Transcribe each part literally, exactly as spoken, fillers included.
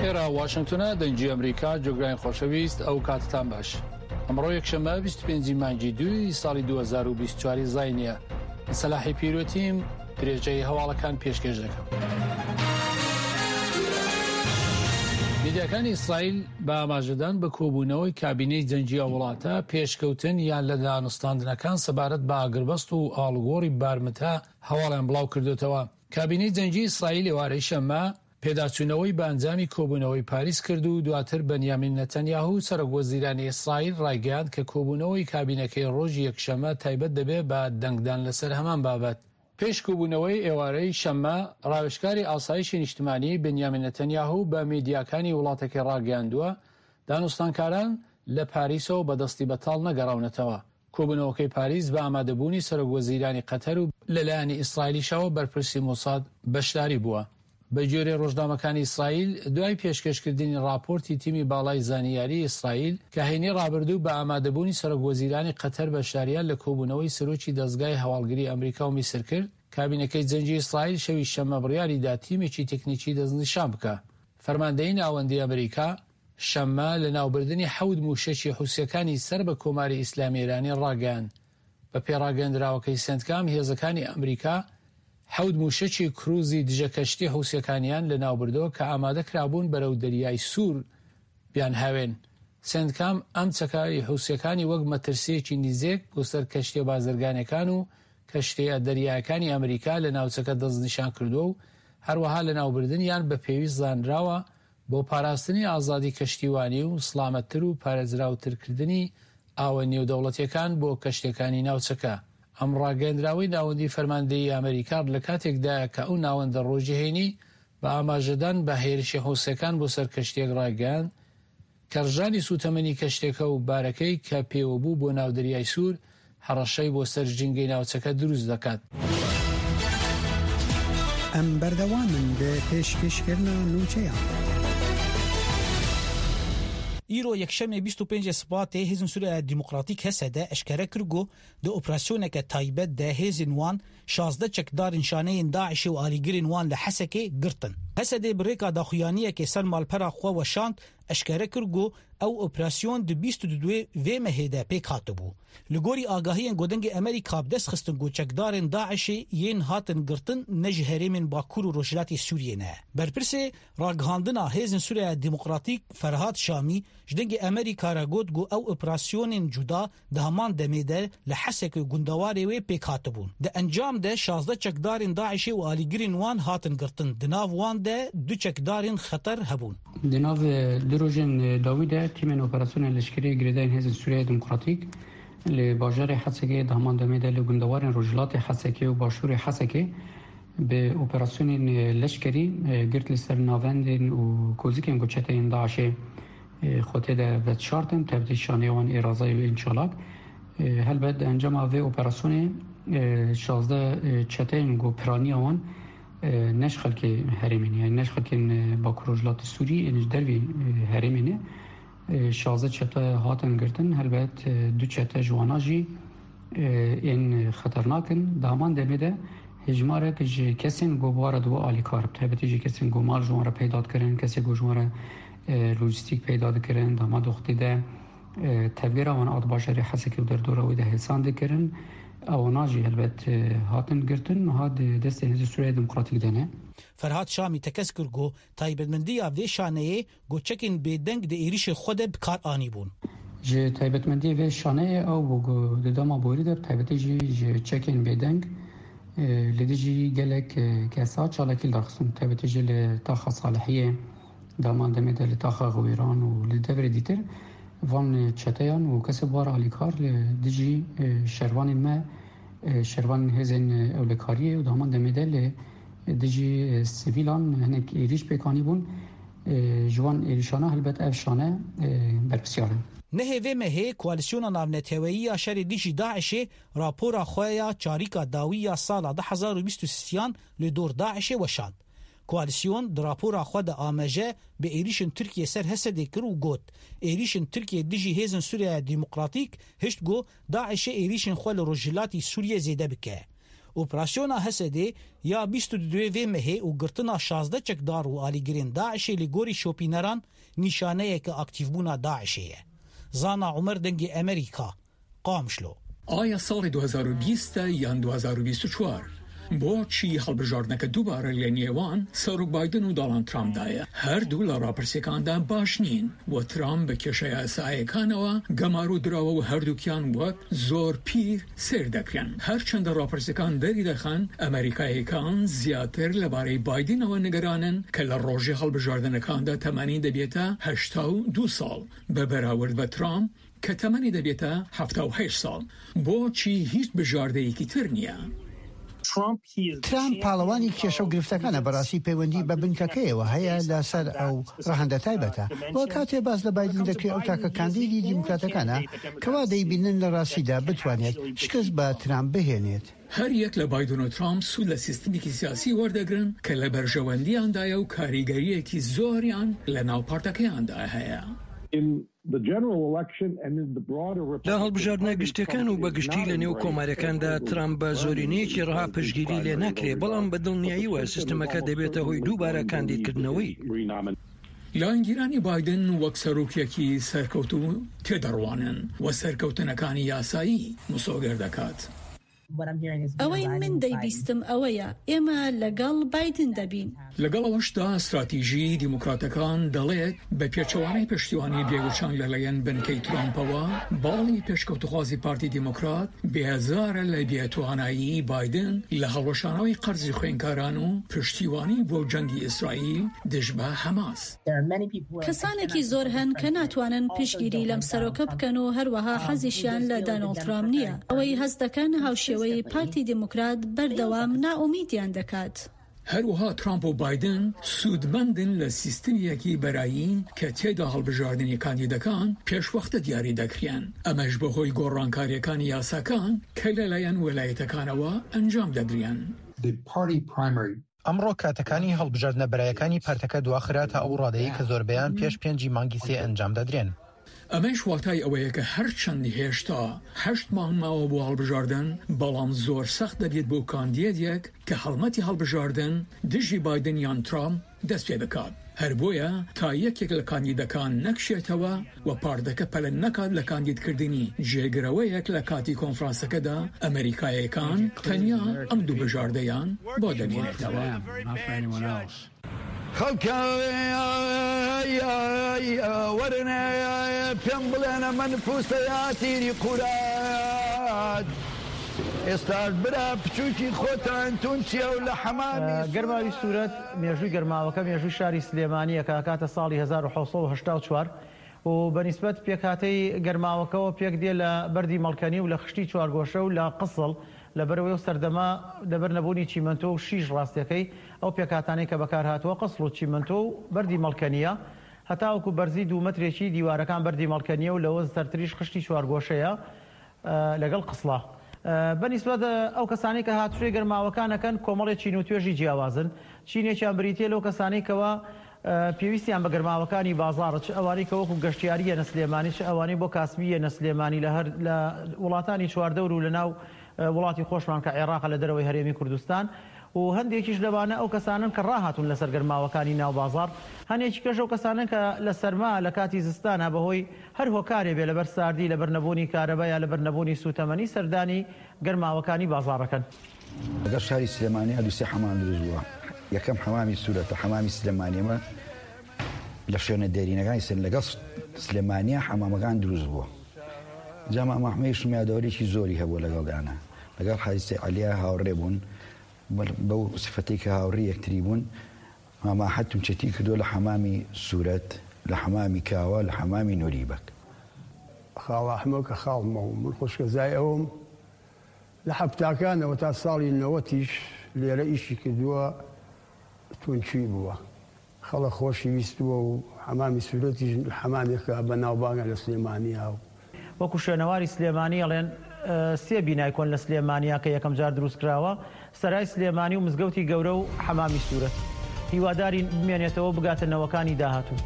ئێرە واشنگتنە، دەنگی ئەمریکا. جۆگرانی خۆشەویست، ئەو کاتتان باش. ئەمڕۆ یەکشەممە بیست و پێنج مانگی دووی ساڵی دوو هەزار و بیست و چوار زاینیە. من سەلاحی پیرۆتیم، درێژەی هەواڵەکان پێشکێش دەکەم. میدیاکانی ئیسرائیل بە ئاماژەدان بە کۆبوونەوەی کابینەی جەنگی ئەو وڵاتە پێشکەوتن یان لە دانوستاندنەکان سەبارەت بە ئاگربەست و ئاڵوگۆڕی بارمتە هەواڵیان بڵاو کردوتەوە. کابینەی جەنگی ئیسرائیل ئێوارەی شەممە پێداچوونەوەی بە ئەنجامی کۆبوونەوەی پاریس کرد و دواتر بەنیامین نەتەنیاهو سەرۆک وەزیرانی ئیسرائیل ڕایگەیاند کە کۆبوونەوەی کابینەکەی ڕۆژی یەکشەممە تایبەت دەبێت بە دەنگدان لەسەر هەمان بابەت. پێش کۆبوونەوەی ئێوارەی شەممە، ڕاوێژکاری ئاسایشی نیشتمانی بنیامین نەتەنیاهو بە میدیاکانی وڵاتەکەی ڕاگەیاندووە دانوستانکاران لە پاریسەوە بەدەستی بەتاڵ نەگەڕاونەتەوە. کۆبوونەوەکەی پاریس بە ئامادەبوونی سەرۆک وەزیرانی قەتەر و لەلایەنی ئیسرائیلیشەوە بەرپرسی مۆساد بەشداری بووە. بە گوێرەی ڕۆژنامەکانی ئیسرائیل، دوای پێشکەشکردنی ڕاپۆرتی تیمی باڵای زانیاری ئیسرائیل کە هەینی ڕابردوو بە ئامادەبوونی سەرۆک وەزیرانی قەتەر بەشداریان لە کۆبوونەوەی سەرۆکی دەزگای هەواڵگری ئەمریکا و میسر کرد، کابینەکەی جەنگی ئیسرائیل شەوی شەممە بڕیاریدا تیمێکی تەکنیکی دەستنیشان بکە. فەرماندەیی ناوەندی ئەمریکا شەممە لە ناوبردنی حەوت مووشەکی حوسیەکانی سەر بە کۆماری ئیسلامی ئێرانی ڕاگەیاند. بە پێڕاگەندراوەکەی سنتکام، هێزەکانی ئەمریکا حەوت مووشەکی کروزی دژەکەشتی حوسیەکانیان لە ناوبردەوە کە ئامادە کرابوون بەرەو دەریای سوور بیان هاوێن. سنتکام ئەم چەکاری حوسیەکانی وەک مەترسیەکی نزیک بۆ سەر کەشتیە بازرگانەکان و کەشتیە دەریایەکانی ئەمریکا لە ناوچەکە دەستنیشان کردووە و هەروەها لە ناوبردنیان بە پێویست زانراوە بۆ پاراستنی ئازادی کەشتیوانی و سڵامەتتر و پارێزراوترکردنی ئاوە نێودەوڵەتیەکان بۆ کەشتیەکانی ناوچەکە. ئەم ڕاگەندراوەی ناوەندی فەرماندەیی ئەمریکا لە کاتێکدایە کە ئەو ناوەندە ڕۆژی هەینی بە ئاماژەدان بە هێرشی حوسیەکان بۆ سەر کەشتیەک ڕاگەیاند کە ڕژانی سوتەمەنی کەشتێکە و بارەکەی کە پێوە بوو بۆ ناو دەریای سوور هەڕەشەی بۆ سەر ژینگەی ناوچەکە دروست دەکات. ئەم بەردەوامن بە پێشکەشکردنا نوچەیان. ئیرۆ یەکشەمێ بیست و پێنج سپاتێ هێزن سووریا دیموکراتیک هەسەدە ئەشکەرە کرد دو ئۆپراسیۆنەکە تایبەت دە هێزن وان شازدە چەکدارن شانەیên داعشê û alîgirên wan li Hesekê girtin. Hesedê bi rêka daxuyaniyekê ser malpera xwe weşand eşkere kir ku ew operasyon di bîst û du vê mehê de pêk hatibû. Li gorî agahiyên Godengê Amerîka bi dest xistin ku çekdarên Daişê yên hatin girtin ne ji herêmên Bakur û Rojhilatê Sûriyê ne. Berpirsê ragihandina Hêzên Sûriya Demokratîk Ferhat Şamî ji dengê Amerîka re got ku ew operasyonên cuda di heman demê de li Hesekê gundewarê wê pêk hatibûn. Di encam de şazdeh çekdarên Daişê û alîgirên wan hatin girtin. Di nav wan de du çekdarên xeter hebûn. Di nav du rojên dawî de tîmên operasyonên leşkerî girêdayên Hêzên Sûriya Demokratîk li bajarê Hesekê di heman demê de li gundewarên Rojhilatê Hesekê û Başûrê Hesekê bi operasyonên leşkerî girt li ser navendên û kozikên ku çeteyên Daişê xwe tê de vedişartin, tevdî şaneyê wan ê razayê û ên çalak. Helbet di encama vê operasyonê şazdeh çeteyên ku piraniya wan ne ji xelkê herêmê ne, yani ne ji xelkên Bakur Rojhilatê Sûrî ên ji dervî herêmê ne, şazdeh çete hatin girtin. Helbet du çete ji wana jî ên xeternak in. Di heman demê de hejmarek ji kesên ku bi ware dibe alîkar, bi taybetî ji kesên ku mal ji wan re peyda dikirin, kesê ku ji wan re lojîstîk peyda dikirin, di heman doxtê de tevgera wan a di bajarê Hesekê û derdora wê de hêsan dikirin, ewana jî helbet hatin girtin, niha di destê Hêzên Sûriya Demokratîk de ne. Ferhat Şamî tekez kir ku taybetmendiya vê şaneyê ku çekên bêdeng di êrişê xwe de bi kar anîbûn. Ji taybetmendiyê vê şaneyê ew bû ku di dema borî de bi taybetî jî ji çekên bêdeng li dijî gelek kesa çalakî li dar xistin, bi taybetî jî li taxa Salihiyê, di heman demê de li taxa Xwêran û li deverê dîtir van çeteyan û kesê bar alîkar li dijî şervanên me, şervanên hêzên ewlekariyê û di heman demê de li dijî sivîlan hinek êrîş pêk anîbûn. Ji wan êrîşana helbet ev şane berpirsyar in. Nehê vê mehê Koalisyona Navneteweyî ya Şerê Dijî Daişê rapora xwe ya çarîka dawî ya sala du hezar û bîst û sisiyan li dor Daişê weşand. Koalisyon di rapora xwe de ameje bi êrîşên Tirkiye ser Hesedê kir û got: êrîşên Tirkiye dijî hêzên Sûriya Demokratîk hişt ku Daişê êrîşên xwe li Rojhilatê Sûriyê zêde bike. Operasyona HSD ya bîst û du vê mehê û girtina şazdeh çekdar û alîgirên DAIŞê li gorî şopîneran nîşaneyeke aktîvbûna DAIŞê ye. Zana Umer Dengê Amerîka, Qamişlo. ئایا ساڵی دوو هەزار و بیست یان دوو هەزار و بیست و چوار؟ بۆچی هەڵبژاردنەکە دووبارە لە نێوان سەرۆک بایدن و دۆناڵد ترامپدایە؟ هەردوو لە ڕاپرسیەکاندا باش نین و ترامپ بە کێشە یاساییەکانەوە گەمارۆ دراوە و هەردووکیان وەک زۆر پیر سەیر دەکرێن. هەرچەندە ڕاپرسیەکان دەریدەخەن ئەمریکاییەکان زیاتر لەبارەی بایدنەوە نیگەرانن کە لە ڕۆژی هەڵبژاردنەکاندا تەمەنی دەبێتە هەشتا و دوو ساڵ بە بەراورد بە ترامپ کە تەمەنی دەبێتە حەفتا و هەشت ساڵ. بۆچی هیچ بژاردەیەکی تر نییە؟ ترامپ پاڵەوانی کێشە و گرفتەکانە، بەڕاستی پەیوەندی بە بنکەکەیەوە هەیە لەسەر ئەو ڕەهەندە تایبەتە. و کاتێ باس لە بایدن دەکرێت، ئەو تاکە کاندیدی دیموکراتەکانە کەوا دەیبینن لە ڕاستیدا بتوانێت شکست بە ترامپ بهێنێت. هەر یەک لە بایدن و ترامپ سوود لە سیستمێکی سیاسی وەردەگرن کە لە بەرژەوەندیاندایە و کاریگەرییەکی زۆریان لە ناو پارتەکەیاندا هەیە. لە هەڵبژاردنە گشتیەکان و بە گشتی لە نێو کۆماریەکاندا ترامپ بە زۆرینەیەکی ڕەها پشتگیری لێ ناکرێ، بەڵام بە دڵنیاییەوە سیستمەکە دەبێتە هۆی دووبارە کاندیدکردنەوەی. لایەنگیرانی بایدن وەک سەرۆکێکی سەرکەوتوو تێدەڕوانن و سەرکەوتنەکانی یاسایی مسۆگەر دەکات. ئەوەی من دەیبیستم ئەوەیە ئێمە لەگەڵ بایدن دەبین. لەگەڵ ئەوەشدا ستراتیژی دیموکراتەکان دەڵێت بە پێچەوانەی پشتیوانی بێوچان لەلایەن بنکەی ترامپەوە، باڵی پێشکەوتوخوازی پارتی دیموکرات بێزارە لە بێتوانایی بایدن لە هەڵوەشانەوەی قەرزی خوێندکاران و پشتیوانی بۆ جەنگی ئیسرائیل دژ بە حەماس. کەسانێکی زۆر هەن کە ناتوانن پشتگیری لەم سەرۆکە بکەن و هەروەها حەزیشیان لە دانۆڵد ترامپ نییە. ئەوەی هەست دەکەن هاوشێوەی پارتی دیموکرات بەردەوام نائومیدیان دەکات. هەروەها ترامپ و بایدن سوودمەندن لە سیستمیەکی بەرایی کە تێدا هەڵبژاردنی کاندیدەکان پێشوەختە دیاری دەکرێن، ئەمەش بەهۆی گۆڕانکاریەکانی یاساکان کە لەلایەن ویلایەتەکانەوە ئەنجام دەدرێن. ئەمڕۆ کاتەکانی هەڵبژاردنە بەرایەکانی پارتەکە دواخرا تا ئەو ڕادەیە کە زۆربەیان پێش پێنجی مانگی سێ ئەنجام دەدرێن. ئەمەش واتای ئەوەیە کە هەرچەند هێشتا هەشت مانگ ماوە بۆ هەڵبژاردن، بەڵام زۆر سەخت دەبێت بۆ کاندیدێک کە هەڵمەتی هەڵبژاردن دژی بایدن یان ترامپ دەست پێ بکات. هەر بۆیە تا یەکێک لە کاندیدەکان نەکشێتەوە و پارتەکە پەلە نەکات لە کاندیدکردنی جێگرەوەیەک لە کاتی کۆنفرانسەکەدا، ئەمریکاییەکان تەنیا ئەم دوو بژاردەیان بۆ دەمێنێتەوە. وەرنە پێم بڵێنە من پووسەیا تیری قورات ئێستاش برا بچووکی خۆتان تون چیە و لە حەمامی گەرماوی سوورەت مێژووی گەرماوەکە مێژووی شاری سلێمانیە کە ئەکاتە ساڵی هەزار و حەوت سەد و هەشتا و چوار و بەنیسبەت پێکهاتەی گەرماوەکەوە پێک دێ لە بەردی مەڵکەنی و لە خشتی چوارگۆشە و لە قسڵ لەبەرەوەی و سەردەما لەبەر نەبوونی چیمەنتۆ و شیش ڕاستیەکەی ئەو پێکهاتانەی کە بەکارهاتووە قسڵ و چیمەنتۆ و بەردی مەڵکەنیە هەتاوەکو بەرزی دوو مەترێکی دیوارەکان بەردی مەڵکەنیە و لەوە سەرتریش خشتی چوارگۆشەیە لەگەڵ قسڵە. بەنیسبەت ئەو کەسانەی کە هاتوچۆی گەرماوەکانەکەن کۆمەڵێ چین و توێژی جیاوازن. چینێکیان بریتیە لەو کەسانەی کەوا پێویستیان بە گەرماوەکانی بازاڕ، چ ئەوانەی کە وەکو گەشتیاریە نە سلێمانی، چ ئەوانەی بۆ کاسبیە نە سلێمانی لە هەر لە وڵاتانی چواردەور و لە ناو وڵاتی خۆشمان کە عێراقە لە دەرەوەی هەرێمی کوردستان. و هەندێکیش لەوانە ئەو کەسانن کە ڕاهاتون لەسەر گەرماوەکانی ناو بازاڕ، هەندێکی کەش ئەو کەسانن کە لە سەرما لە کاتی زستانە بەهۆی هەر هۆکارێ بێ لەبەر ساردی، لەبەر نەبوونی کارەبا یا لەبەر نەبوونی سوتەمەنی سەردانی گەرماوەکانی بازاڕەکەن. لەگەڵ شاری سلێمانی دوو سێ حەمام دروست بووە. یەکەم حەمامی سوورەتە، حەمامی سلێمانیەمە لە شوێنە دێرینەکانی سن لەگەڵ سلێمانیە حەمامەکان دروست بووە. جا مامە ئەحمەدیشم یادەوەرێکی زۆری هەبووە لەگەڵ دانا، لەگەڵ حاجی عەلیا هاوڕێ بوون، بەو سفەتەی کە هاوڕێ یەکتری بوون. مامە ئەحمەد تونچێتی کردووە لە حەمامی سوورەت، لە حەمامی کاوە، لە حەمامی نووری بەک. خاڵ ئەحمەد کە خاڵمەوە من خۆشکەزای ئەوم لە حەفتاکانەوە تا ساڵی نەوەتیش لێرە ئیشی کردووە، تونچی بووە، خەڵک خۆشی ویستووە و حەمامی سوورەتیش حەمامێکە بە ناوبانگە لە سلێمانیا. وەکو شوێنەواری سلێمانی ئەڵێن سێ بینای کۆن لە سلێمانیا کە یەکەم جار دروست کراوە، سەرای سلێمانی و مزگەوتی گەورە و حەمامی سوورەت. هیوادارین بمێنێتەوە بگاتە نەوەکانی داهاتوو.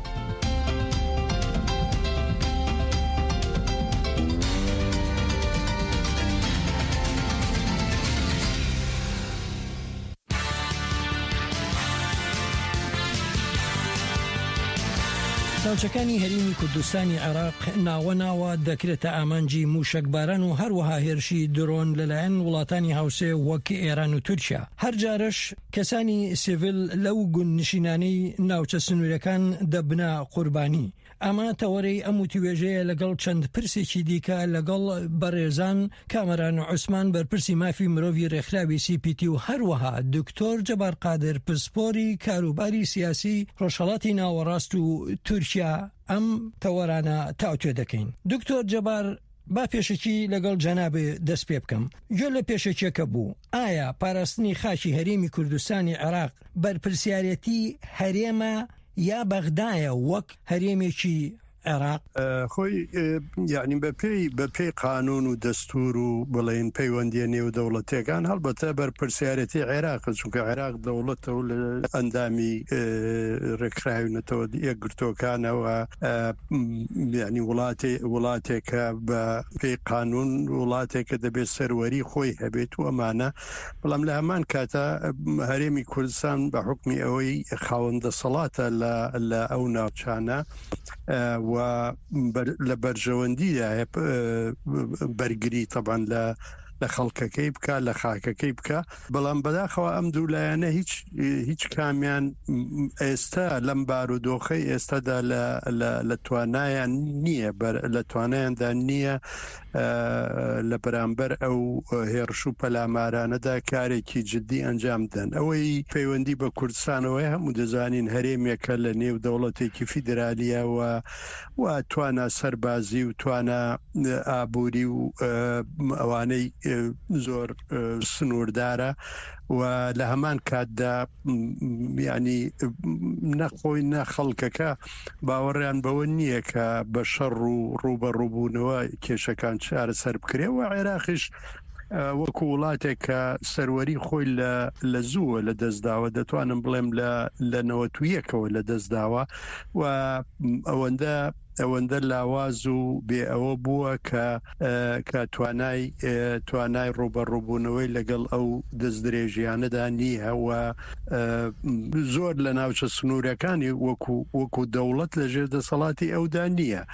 ناوچەکانی هەرێمی کوردستانی عێراق ناوە ناوە دەکرێتە ئامانجی موشەکباران و هەروەها هێرشی درۆن لەلایەن وڵاتانی هاوسێ وەک ئێران و تورکیا. هەر جارەش کەسانی سیڤیل لەو گوندنشینانەی ناوچە سنوورەکان دەبنە قوربانی. ئەمە تەوەرەی ئەم وتوێژەیە لەگەڵ چەند پرسێکی دیکە لەگەڵ بەڕێزان کامەران عوسمان بەرپرسی مافی مرۆڤی ڕێکخراوی سی پی تی و هەروەها دکتۆر جەبار قادر پسپۆری کاروباری سیاسی ڕۆژهەڵاتی ناوەڕاست و تورکیا ئەم تەوەرانە تاوتوێ دەکەین. دکتۆر جەبار با پێشەکی لەگەڵ جەنابێ دەست پێ بکەم. گوێ لە پێشەکیەکە بوو. ئایا پاراستنی خاکی هەرێمی کوردستانی عێراق بەرپرسیارەتی هەرێمە یا بەغدایە وەک هەرێمێکی عێراق؟ خۆی یعنی بەپێی بەپێی قانون و دەستور و بڵێن پەیوەندیە نێودەوڵەتیەکان هەڵبەتە بەرپرسیارەتی عێراق، چونکە عێراق دەوڵەتە و لە ئەندامی ڕێکخراوی نەتەوە یەکگرتووەکانەوە، یعنی وڵاتێ وڵاتێکە بە پێی قانون وڵاتێکە دەبێت سەروەری خۆی هەبێت و ئەمانە. بەڵام لە هەمان کاتە هەرێمی کوردستان بە حکمی ئەوەی خاوەن دەسەڵاتە لە ئەو ناوچانە و لە بەرژەوەندیدا بەرگری طبعا لە لە خەڵکەکەی بکە، لە خاکەکەی بکە. بەڵام بەداخەوە ئەم دوو لایەنە هیچ هیچ کامیان ئێستا لەم بارودۆخەی ئێستادا لە توانایان نییە، لە توانایاندا نییە لە بەرامبەر ئەو هێرش و پەلامارانەدا کارێکی جدی ئەنجام بدەن. ئەوەی پەیوەندی بە کوردستانەوەی هەموو دەزانین هەرێمێکە لە نێو دەوڵەتێکی فیدرالیەوە و توانا سەربازی و توانا ئابووری و ئەوانەی زۆر سنووردارە و لە هەمان کاتدا یعنی نەخۆی نە خەڵکەکە باوەڕیان بەوە نییە کە بە شەڕ و ڕووبەڕووبوونەوە کێشەکان چارەسەر بکرێ. و عێراقیش وەکو وڵاتێک کە سەروەری خۆی لە زووە لە دەستداوە، دەتوانم بڵێم لە نەوەت و یەکەوە لە دەستداوە و ئەوەندە ئەوەندە لاواز و بێ ئەوە بووە کە کە توانای توانای ڕووبەڕووبوونەوەی لەگەڵ ئەو دەستدرێژیانەدا نییە و زۆر لە ناوچە سنوورەکانی وەکو وەکو دەوڵەت لەژێر دەسەڵاتی ئەودا نییە.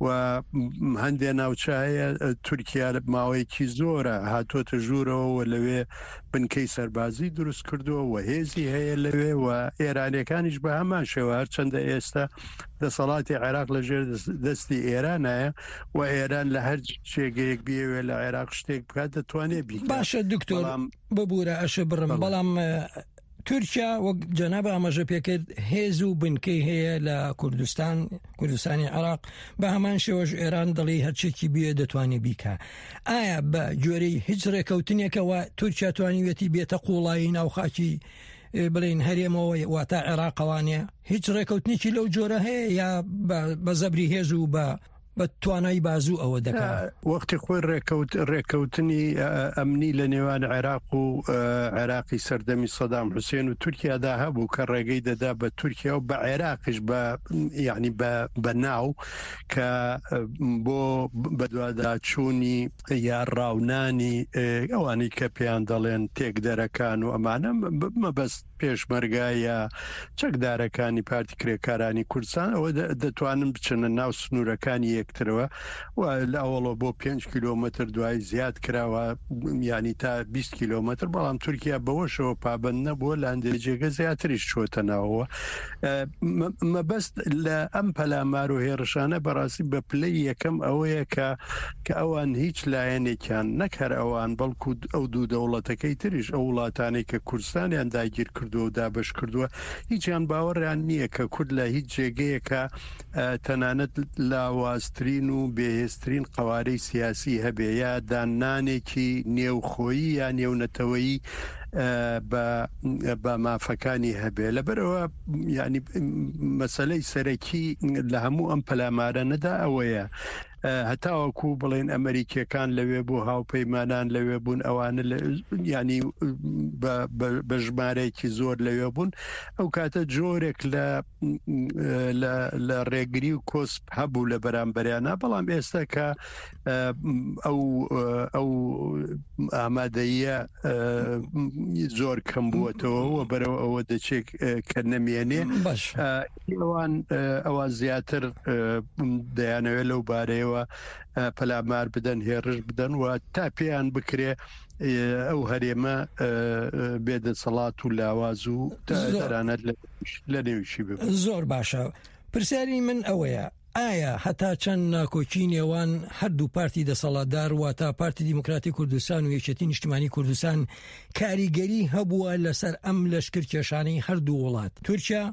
و هەندێک ناوچە هەیە تورکیا ماوەیەکی زۆرە هاتووەتە ژوورەوە و لەوێ بنکەی سەربازی دروست کردووە و هێزی هەیە لەوێ و ئێرانیەکانیش بە هەمان شێوە، هەرچەندە ئێستا دەسەڵاتی عێراق لەژێر دەستی ئێرانایە و ئێران لە هەر جێگەیەک بیەوێ لە عێراق شتێک بکات دەتوانێت بیکات. باشە دکتۆر ببوورە ئەشە بڕم، بەڵام تورکیا وەک جەناب ئاماژە پێکرد هێز و بنکەی هەیە لە کوردستان، کوردستانی عێراق، بە هەمان شێوەش ئێران دەڵی هەرچێکی بێ دەتوانێت بیکا. ئایا بە گوێرەی هیچ ڕێکەوتنێکەوە تورکیا توانیوێتی بێتە قوڵایی ناوخاکی بڵین هەرێمەوە واتە عێراقەوانێ؟ هیچ ڕێکەوتنێکی لەو جۆرە هەیە یا بە زەبری هێز و بە بە توانای بازوو ئەوە دەکات؟ وەختی خۆی ڕێکەوتنی ئەمنی لە نێوان عێراق و عێراقی سەردەمی سەدام حوسێن و تورکیادا هەبوو کە ڕێگەی دەدا بە تورکیا و بە عێراقیش بە یعنی بە ناو کە بۆ بەدواداچوونی یا ڕاونانی ئەوانەی کە پێیان دەڵێن تێکدەرەکان و ئەمانە، مەبەست پێشمەرگە یا چەکدارەکانی پارتی کرێکارانی کوردستان، ئەوە دەتوانن بچنە ناو سنوورەکانی یەکترەوە و لە ئەوەڵەوە بۆ پێنج کیلۆمەتر دوای زیاد کراوە، یعنی تا بیست کیلۆمەتر، بەڵام تورکیا بەوەشەوە پابند نەبووە، لە هەندێک جێگە زیاتریش چۆتە ناوەوە. مەبەست لە ئەم پەلامار و هێرشانە بەڕاستی بە پلەی یەکەم ئەوەیە کە کە ئەوان هیچ لایەنێکیان نەک هەر ئەوان بەڵکو ئەو دوو دەوڵەتەکەی تریش، ئەو وڵاتانەی کە کوردستانیان داگیر کردووە و دابەش کردووە، هیچیان باوەڕیان نییە کە کورد لە هیچ جێگەیەکە تەنانەت لاوازترین و بێهێزترین قەوارەی سیاسی هەبێ یا داننانێکی نێوخۆیی یا نێونەتەوەیی بە مافەکانی هەبێ. لەبەرەوە یعنی مەسەلەی سەرەکی لە هەموو ئەم پەلامارانەدا ئەوەیە هەتاوەکو بڵێن ئەمریکیەکان لەوێ بوو، هاوپەیمانان لەوێ بوون، ئەوانە ینی بە ژمارەیەکی زۆر لەوێ بوون. ئەو کاتە جۆرێک لە لە ڕێگری و کۆسپ هەبوو لە بەرامبەریانە، بەڵام ئێستا کە ئەو ئەو ئامادەیە زۆر کەم بووەتەوە و بەرەوە ئەوە دەچێت کە نەمێنێ، ئەوان ئەوان زیاتر دەیانەوێت لەو بارەیەوە پەلامار بدەن، هێرش بدەن و تا پێیان بکرێ ئەو هەرێمە بێدەسەڵات و لاواز و تەنانەت لە نێویشی ببن. زۆر باشە. پرسیاری من ئەوەیە ئایا هەتا چەند ناکۆکی نێوان هەردوو پارتی دەسەڵاتدار واتە پارتی دیموکراتی کوردستان و یەکێتی نیشتمانی کوردستان کاریگەری هەبووە لەسەر ئەم لەشکرکێشانەی هەردوو وڵات تورکیا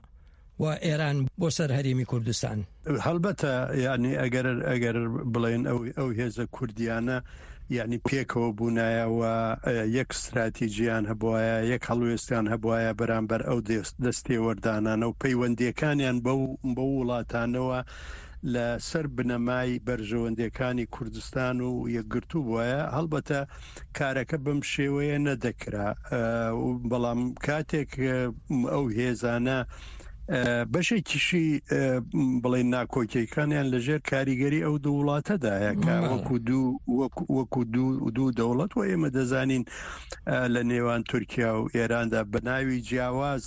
و ئێران بۆ سەر هەرێمی کوردستان؟ هەڵبەتە یعنی ئەگەر ئەگەر بڵێن ئەو ئەو هێزە کوردیانە یعنی پێکەوە بوونایە و یەک استراتیژیان هەبواە، یەک هەڵوێستیان هەبواە بەرامبەر ئەو دەستێوەردانانە و پەیوەندیەکانیان بەو بەو وڵاتانەوە لەسەر بنەمای بەرژەوەندیەکانی کوردستان و یەکگرتوو بواە، هەڵبەتە کارەکە بەم شێوەیە نەدەکرا. بەڵام کاتێک ئەو هێزانە بەشێکیشی بڵێن ناکۆکیەکانیان لەژێر کاریگەری ئەو دوو وڵاتەدایە کە وەکو دوو وەکو دوو دوو دەوڵەت و ئێمە دەزانین لە نێوان تورکیا و ئێراندا بە ناوی جیاواز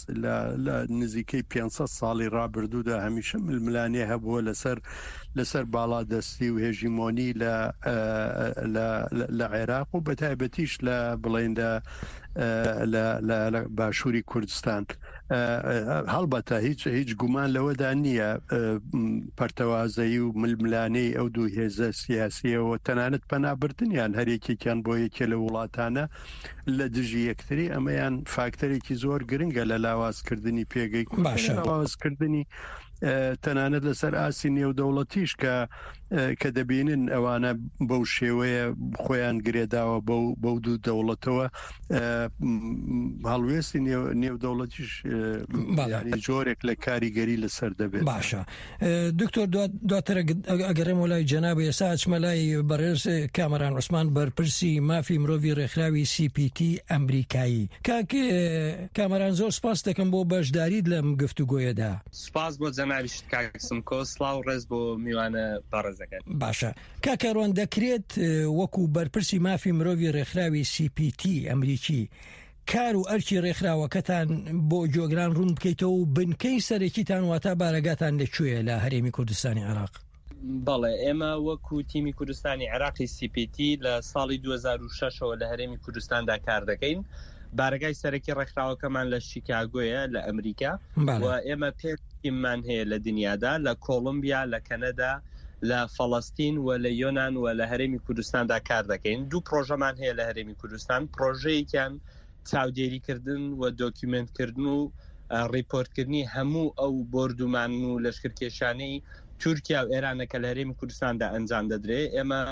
لە نزیکەی پێنج سەد ساڵی ڕابردوودا هەمیشە ململانێ هەبووە لەسەر لەسەر باڵادەستی و هێژیمۆنی لە لە عێراق و بەتایبەتیش لە بڵێن لە باشووری کوردستان. هەڵبەتە هیچ هیچ گومان لەوەدا نییە پەرتەوازەیی و ململانێی ئەو دوو هێزە سیاسیەوە تەنانەت پەنابردنیان هەرێکێکیان بۆ یەکێ لە وڵاتانە لە دژی یەکتری، ئەمەیان فاکتەرێکی زۆر گرنگە لە لاوازکردنی پێگەی باشە. لاوازکردنی تەنانەت لەسەر ئاستی نێودەوڵەتیش کە کە دەبینن ئەوانە بەو شێوەیە خۆیان گرێداوە بەو بەو دوو دەوڵەتەوە، هەڵوێستی نێودەوڵەتیش ینی جۆرێک لە کاریگەری لەسەر دەبێت. باشە دکتۆر، دواتر ئەگەڕێمەوە لای جەناب، ئێستا ئەچمە لای بەڕێز کامەران عوسمان بەرپرسی مافی مرۆڤی ڕێکخراوی سی پی تی ئەمریکایی. کاک کامەران زۆر سپاس دەکەم بۆ بەشداریت لەم گفتوگۆیەدا. سپاس بۆ جەنابیشت کاک سمکۆ، سڵاو ڕێز بۆ میوانە بەڕێزەکەت. باشە کاک کاروان، دەکرێت وەکو بەرپرسی مافی مرۆڤی ڕێکخراوی سی پی تی ئەمریکی کار و ئەرکی ڕێکخراوەکەتان بۆ گوێگران ڕوون بکەیتەوە و بنکەی سەرەکیتان واتە بارەگاتان لەکوێیە لە هەرێمی کوردستانی عێراق؟ بەڵێ، ئێمە وەکو تیمی کوردستانی عێراقی سی پی تی لە ساڵی دوو هەزار و شەش ەوە لە هەرێمی کوردستاندا کار دەکەین. بارەگای سەرەکی ڕێکخراوەکەمان لە شیکاگۆیە لە ئەمریکا و ئێمە پێنج تیممان هەیە لە دنیادا، لە کۆڵمبیا، لە کەنەدا، لە فەڵەستین و لە یۆناان و لە هەرێمی کوردستاندا کار دەکەین. دوو پرۆژەمان هەیە لە هەرێمی کوردستان، پرۆژەیەکیان چاودێریکردن و دۆکیومنتکردن و ڕیپۆرتکردنی هەموو ئەو بۆردومان و لەشکرکێشانەی تورکیا و ئێرانە کە لە هەرێمی کوردستاندا ئەنجام دەدرێت. ئێمە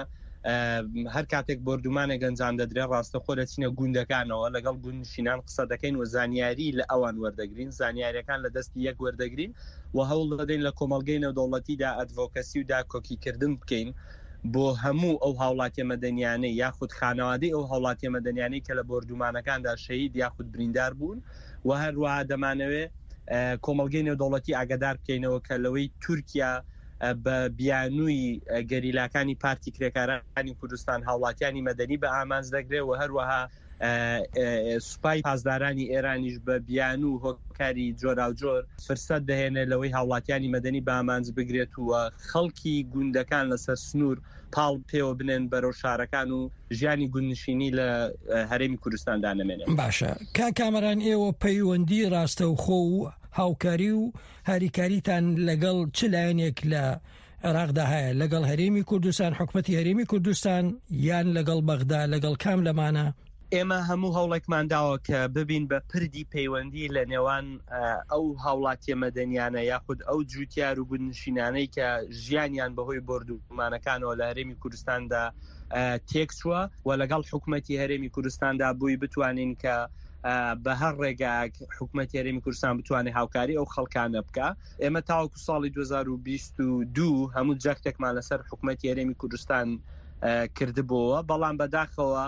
هەر کاتێک بۆردومانێک ئەنجام دەدرێت ڕاستەخۆ دەچینە گوندەکانەوە، لەگەڵ گوندنشینان قسە دەکەین و زانیاری لە ئەوان وەردەگرین، زانیاریەکان لە دەستی یەک وەردەگرین و هەوڵ دەدەین لە کۆمەڵگەی نێودەوڵەتیدا ئەدڤۆکەسی و داکۆکیکردن بکەین بۆ هەموو ئەو هاوڵاتیە مەدەنیانەی یاخود خانەوادەی ئەو هاوڵاتیە مەدەنیانەی کە لە بۆردومانەکاندا شەهید یاخود بریندار بوون. و هەروەها دەمانەوێت کۆمەڵگەی نێودەوڵەتی ئاگادار بکەینەوە کە لەوەی تورکیا بە بیانووی گەریلاکانی پارتی کرێکارانی کوردستان هاوڵاتیانی مەدەنی بە ئامانج دەگرێت و هەروەها سوپای پاسدارانی ئێرانیش بە بیانوو هۆکاری جۆراوجۆر فرسەت دەهێنێت لەوەی هاوڵاتیانی مەدەنی بە ئامانج بگرێت و خەڵکی گوندەکان لەسەر سنوور پاڵ پێوە بنێن بەرەو شارەکان و ژیانی گوندنشینی لە هەرێمی کوردستاندا نەمێنێت. باشە کاک کامەران، ئێوە پەیوەندی ڕاستەوخۆ و هاوکاری و هاریکاریتان لەگەڵ چ لایەنێک لە عێراقدا هەیە؟ لەگەڵ هەرێمی کوردستان، حکومەتی هەرێمی کوردستان، یان لەگەڵ بەغدا، لەگەڵ کام لەمانە؟ ئێمە هەموو هەوڵێکمان داوە کە ببین بە پردی پەیوەندی لە نێوان ئەو هاوڵاتیە مەدەنیانە یاخود ئەو جوتیار و گوندنشینانەی کە ژیانیان بەهۆی بۆردومانەکانەوە لە هەرێمی کوردستاندا تێکچووە و لەگەڵ حکومەتی هەرێمی کوردستاندا بووی بتوانین کە بە هەر ڕێگایەک حکوومەتی هەرێمی کوردستان بتوانێت هاوکاری ئەو خەڵکانە بکە. ئێمە تاوەکو ساڵی دوو هەزار و بیست و دوو هەموو جەختێکمان لەسەر حکوومەتی هەرێمی کوردستان کردبووە، بەڵام بەداخەوە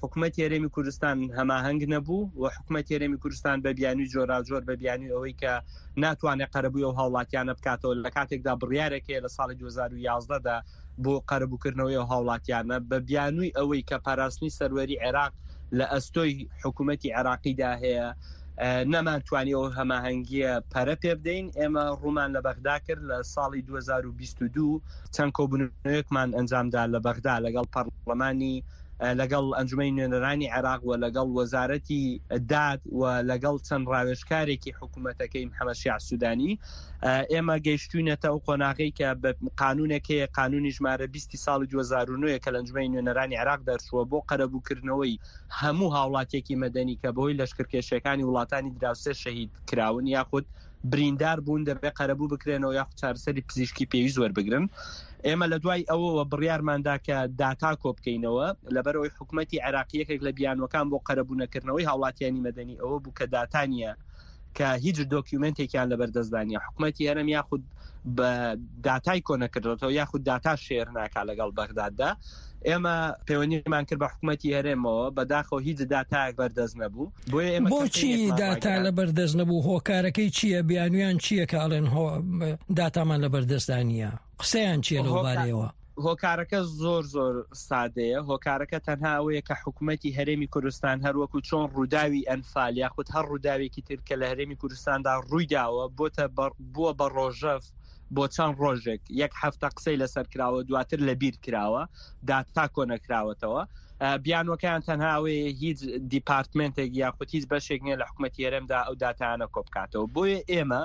حکوومەتی هەرێمی کوردستان هەماهەنگ نەبوو و حکوومەتی هەرێمی کوردستان بە بیانووی جۆراوجۆر، بە بیانووی ئەوەی کە ناتوانێت قەرەبووی ئەو هاوڵاتیانە بکاتەوە لە کاتێکدا بڕیارێک هەیە لە ساڵی دوو هەزار و یازدە دا بۆ قەرەبووکردنەوەی ئەو هاوڵاتیانە، بە بیانووی ئەوەی کە پاراستنی سەروەری عێراق لە ئەستۆی حکوومەتی عێراقیدا هەیە، نەمانتوانی ئەو هەماهەنگیە پەرە پێ بدەین. ئێمە ڕوومان لە بەغدا کرد لە ساڵی دوو هەزار و بیست و دوو، چەند کۆبوونەوەیەکمان ئەنجامدا لە بەغدا لەگەڵ پەرلەمانی، لەگەڵ ئەنجومەنی نوێنەرانی عێراق و لەگەڵ وەزارەتی داد و لەگەڵ چەند ڕاوێژکارێکی حکوومەتەکەی محەممەد شیاع سوودانی. ئێمە گەیشتوینەتە ئەو قۆناغەی کە بە قانونێک هەیە، قانونی ژمارە بیستی ساڵی دوو هەزار و نۆ کە لە ئەنجومەنی نوێنەرانی عێراق دەرچووە بۆ قەرەبووکردنەوەی هەموو هاوڵاتیەکی مەدەنی کە بەهۆی لەشکرکێشیەکانی وڵاتانی دراوسێ شەهید کراون یاخود بریندار بوون، دەبێت قەرەبوو بکرێنەوە یاخود چارەسەری پزیشکی پێویست وەربگرن. ئێمە لە دوای ئەوەوە بڕیارماندا کە داتا کۆ بکەینەوە، لەبەرەوەی حکوومەتی عێراقی یەکێک لە بیانوەکان بۆ قەرەبوو نەکردنەوەی هاوڵاتیانی مەدەنی ئەوە بوو کە داتا نییە، کە هیچ دۆکیومنتێکیان لەبەردەستدا نییە. حکوومەتی هەرێم یاخود بە داتای کۆ نەکردێتەوە یاخود داتا share ناکا لەگەڵ بەغداددا. ئێمە پەیوەندیمان کرد بە حکوومەتی هەرێمەوە، بەداخەوە هیچ داتایەک بەردەست نەبوو. بۆیە ئێمە بۆچی داتا لەبەردەست نەبوو؟ هۆکارەکەی چییە؟ بیانویان چییە کە ئەڵێن داتامان لەبەردەستدا نییە؟ قسەیان چییە لەو بارەیەوە؟ هۆکارەکە زۆر زۆر سادەیە. هۆکارەکە تەنها ئەوەیە کە حکوومەتی هەرێمی کوردستان هەروەکو چۆن ڕووداوی ئەنفال یاخود هەر ڕووداوێکی تر کە لە هەرێمی کوردستاندا ڕوویداوە بۆتە بووە بە ڕۆژەف بۆ چەند ڕۆژێک، یەک هەفتە قسەی لەسەر کراوە، دواتر لەبیر کراوە، داتا کۆ نەکراوەتەوە. بیانوەکەیان تەنها ئەوەیە هیچ دیپارتمنتێک یاخود هیچ بەشێک نییە لە حکوومەتی هەرێمدا ئەو داتایانە کۆ بکاتەوە. بۆیە ئێمە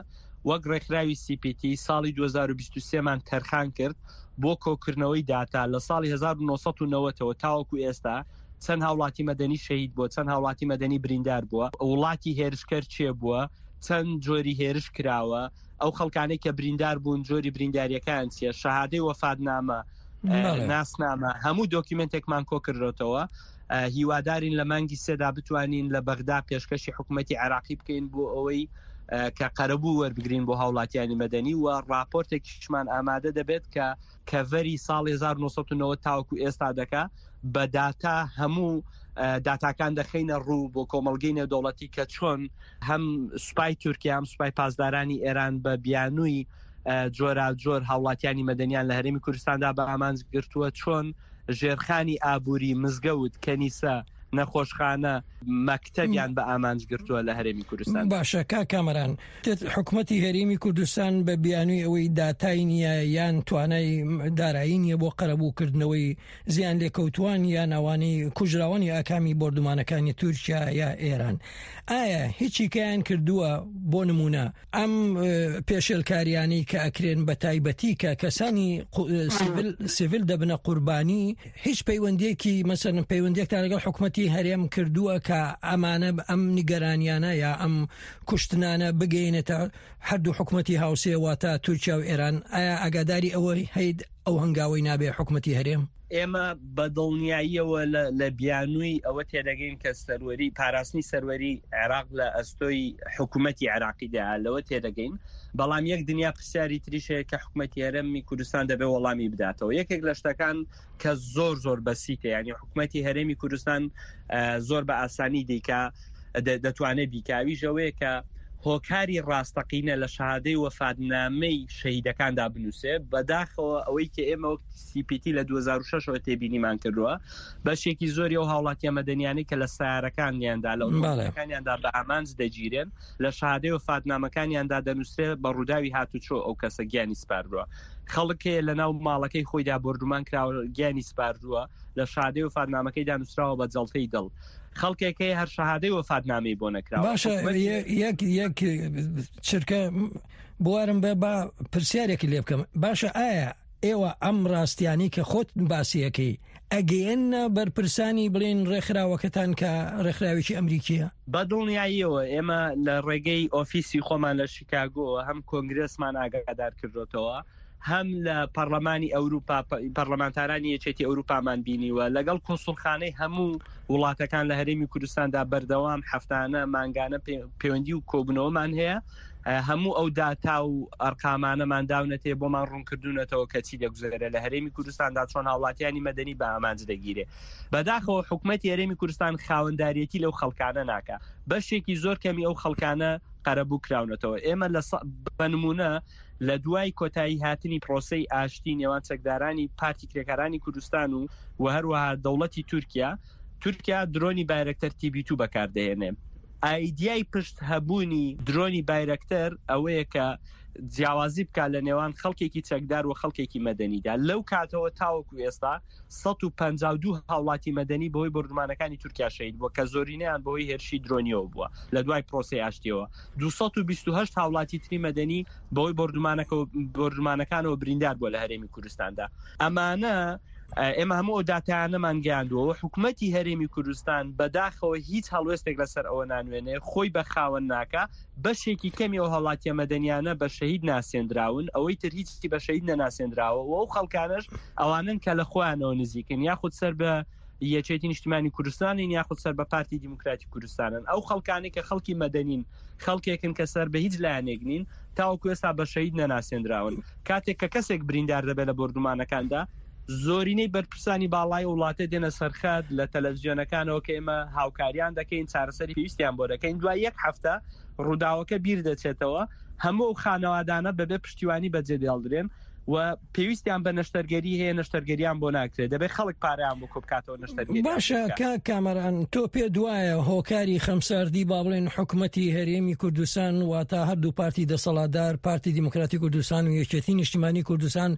وەک ڕێکخراوی سی پی تی ساڵی دوو هەزار و بیست و سێ مان تەرخان کرد بۆ کۆکردنەوەی داتا لە ساڵی هەزار و نۆ سەد و نەوەتەوە تاوەکو ئێستا چەند هاوڵاتی مەدەنی شەهید بووە، چەند هاوڵاتی مەدەنی بریندار بووە، وڵاتی هێرشکەر چێ بووە، چەند جۆری هێرش کراوە، ئەو خەڵکانەی کە بریندار بوون جۆری برینداریەکان چییە، شەهادەی وەفاتنامە، ناسنامە، هەموو دۆکیومنتێکمان کۆ کردێتەوە. هیوادارین لە مانگی سێدا بتوانین لە بەغدا پێشکەشی حکوومەتی عێراقی بکەین بۆ ئەوەی کە قەرەبوو وەربگرین بۆ هاوڵاتیانی مەدەنی و راپۆرتێکیشمان ئامادە دەبێت کە کەڤەری ساڵی هەزار و نۆ سەد و نەوەد تاوەکو ئێستا دەکا بە داتا هەموو داتاکان دەخەینە ڕوو بۆ کۆمەڵگەی نێودەوڵەتی کە چۆن هەم سوپای تورکیا هەم سوپای پاسدارانی ئێران بە بیانووی جۆراوجۆر هاوڵاتیانی مەدەنیان لە هەرێمی کوردستاندا بە ئامانج گرتووە، چۆن ژێرخانی ئابووری، مزگەوت، کەنیسە، نەخۆشخانە، مەکتەبیان بە ئامانج گرتووە لە هەرێمی کوردستان. باشە کا کامەران، حکوومەتی هەرێمی کوردستان بە بیانووی ئەوەی داتای نییە یان توانای دارایی نییە بۆ قەرەبووکردنەوەی زیان لێکەوتوان یان ئەوانەی کوژراوانی ئاکامی بۆردومانەکانی تورکیا یا ئێران، ئایا هیچیکیان کردووە؟ بۆ نمونە ئەم پێشێلکاریانەی کە ئەکرێن بە تایبەتی کە کەسانی سیڤیل دەبنە قوربانی، هیچ پەیوەندیەکی مەسەلەن پەیوەندیەکتان لەگەڵ حکوومەتی هەرێم کردووە کە ئەمانە ئەم نیگەرانیانە یا ئەم کوشتنانە بگەینێتە هەردوو حکوومەتی هاوسێ واتە تورکیا و ئێران؟ ئایا ئاگاداری ئەوەی هەیت ئەو هەنگاوەی نابێ حکوومەتی هەرێم؟ ئێمە بە دڵنیاییەوە لە بیانووی ئەوە تێدەگەین کە سەروەری پاراستنی سەروەری عێراق لە ئەستۆی حکوومەتی عێراقیدا، لەوە تێدەگەین. بەڵام یەک دنیا پرسیاری تریش هەیە کە حکوومەتی هەرێمی کوردستان دەبێت وەڵامی بداتەوە. یەکێک لە شتەکان کە زۆر زۆر بەسیتە، یعنی حکوومەتی هەرێمی کوردستان زۆر بە ئاسانی دیکە دەتوانێت بیکاویش ئەوەیە کە هۆکاری ڕاستەقینە لە شەهادەی وەفاتنامەی شەهیدەکاندا بنووسێ. بەداخەوە ئەوەی کە ئێمە وەک سی پی تی لە دوو هەزار و شەش ەوە تێبینیمان کردووە، بەشێکی زۆری ئەو هاوڵاتیە مەدەنیانەی کە لە سیارەکانیاندا لە ئۆتۆمبیلەکانیاندا بە ئامانج دەگیرێن، لە شەهادەی وەفاتنامەکانیاندا دەنووسرێ بە ڕووداوی هاتوچۆ ئەو کەسە گیانی سپاردووە. خەڵک هەیە لەناو ماڵەکەی خۆیدا بۆردومان کراوە گیانی سپاردووە، لە شەهادەی وەفاتنامەکەیدا نووسراوە بە جەڵتەی دڵ. خەڵکێک هەیە هەر شەهادەی وەفاتنامەی بۆ نەکراوە. باشە یەک یەک چرکە بوارم بە با پرسیارێکی لێ بکەم. باشە ئایا ئێوە ئەم ڕاستیانی کە خۆت باسیەکەی ئەگەیەنە بەرپرسانی بڵێن ڕێکخراوەکەتان کە ڕێکخراوێکی ئەمریکیە؟ بە دڵنیاییەوە ئێمە لە ڕێگەی ئۆفیسی خۆمان لە شیکاگۆ هەم کۆنگرێسمان ئاگادار کردوتەوە، هەم لە پەرلەمانی ئەوروپا پەرلەمانتارانی یەکێتی ئەوروپامان بینیوە، لەگەڵ کونسوڵخانەی هەموو وڵاتەکان لە هەرێمی کوردستاندا بەردەوام هەفتانە مانگانە پەیوەندی و کۆبوونەوەمان هەیە. هەموو ئەو داتا و ئەرقامانەمان داونەتێ بۆمان ڕوونکردوونەتەوە کە چی دەگوزەرێ لە هەرێمی کوردستاندا، چۆن هاوڵاتیانی مەدەنی بە ئامانج دەگیرێ. بەداخەوە حکومەتی هەرێمی کوردستان خاوەنداریەتی لەو خەڵکانە ناکا، بەشێکی زۆر کەمی ئەو خەڵکانە قەرەبوو کراونەتەوە. ئێمە لە بە نمونە لە دوای کۆتایی هاتنی پرۆسەی ئاشتی نێوان چەکدارانی پارتی کرێکارانی کوردستان و و هەروەها دەوڵەتی تورکیا، تورکیا درۆنی بایرەکتەر تی بی دوو بەکاردەهێنێ. ئایدیای پشت هەبوونی درۆنی بایرەکتەر ئەوەیە کە جیاوازی بکات لە نێوان خەڵکێکی چەکدار و خەڵکێکی مەدەنیدا. لەو کاتەوە تاوەکو ئێستا سەد و پەنجا و دوو هاوڵاتی مەدەنی بەهۆی بۆردومانەکانی تورکیا شەهید بووە کە زۆرینەیان بەهۆی هێرشی درۆنیەوە بووە لە دوای پرۆسەی ئاشتیەوە. دوو سەد و بیست و هەشت هاوڵاتی تری مەدەنی بەهۆی بۆردومانەکانەوە بریندار بووە لە هەرێمی کوردستاندا. ئەمانە ئێمە هەموو ئەو داتایانەمان گەیاندووە. حکومەتی هەرێمی کوردستان بەداخەوە هیچ هەڵوێستێک لەسەر ئەوە نانوێنێ، خۆی بە خاوەن ناکا. بەشێکی کەمی ئەو هاوڵاتیە مەدەنیانە بە شەهید ناسێندراون، ئەوەی تر هیچی بە شەهید نەناسێندراوە و ئەو خەڵکانەش ئەوانن کە لە خۆیانەوە نزیکن، یاخود سەر بە یەکێتی نیشتمانی کوردستانین یاخود سەر بە پارتی دیموکراتی کوردستانن. ئەو خەڵکانەی کە خەڵکی مەدەنین، خەڵکێکن کە سەر بە هیچ لایەنێک نین، تاوەکو ئێستا بە شەهید نەناسێندراون. کاتێک کە کەسێک بریندار دەبێت لە بۆردومانەکاندا، زۆرینەی بەرپرسانی باڵای وڵاتە دێنە سەرخەت لە تەلەڤزیۆنەکانەوە کە ئێمە هاوکاریان دەکەین، چارەسەری پێویستیان بۆ دەکەین. دوای یەک هەفتە ڕووداوەکە بیر دەچێتەوە، هەموو ئەو خانەوادانە بەبێ پشتیوانی بەجێ دێڵدرێن و پێویستیان بە نەشتەرگەری هەیە، نەشتەرگەریان بۆ ناکرێت، دەبێت خەڵک پارەیان بۆ کۆبکاتەوە نەشتەرگەری. باشە کاک کامەران، تۆ پێ دوایە هۆکاری خەمساردی با بڵێن حکومەتی هەرێمی کوردستان، واتە هەردوو پارتی دەسەڵاتدار، پارتی دیموکراتی کوردستان و یەکێتی نیشتیمانی کوردستان،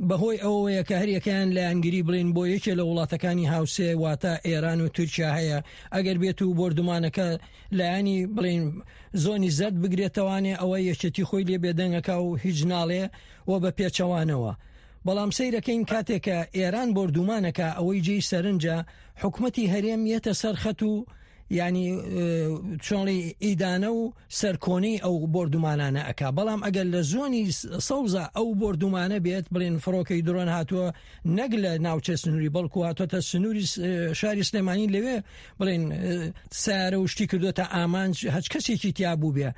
بەهۆی ئەوەیە کە هەریەکەیان لایەنگیری بڵێن بۆ یەکێ لە وڵاتەکانی هاوسێ واتە ئێران و تورکیا هەیە، ئەگەر بێت و بۆردومانەکە لایەنی بڵێن زۆنی زەرد بگرێتەوانێ ئەوە یەکێتی خۆی لێ بێدەنگەکە و هیچ ناڵێ و بە پێچەوانەوە. بەڵام سەیرەکەین کاتێکە ئێران بۆردومانەکە، ئەوەی جێی سەرنجە حکومەتی هەرێم یەتە سەرخەت و یعنی چۆنڵی ئیدانە و سەرکۆنەی ئەو بۆردومانانە ئەک. بەڵام ئەگەر لە زۆنی سەوزە ئەو بۆردومانە بێت، بڵێن فڕۆکەی درۆن هاتووە نەک لە ناوچە سنووری بەڵکو هاتووەتە سنووری شاری سلێمانی، لەوێ بڵێن سیارە و شتی کردوتە ئامانج هەچ کەسێکی تیا بوو بێ.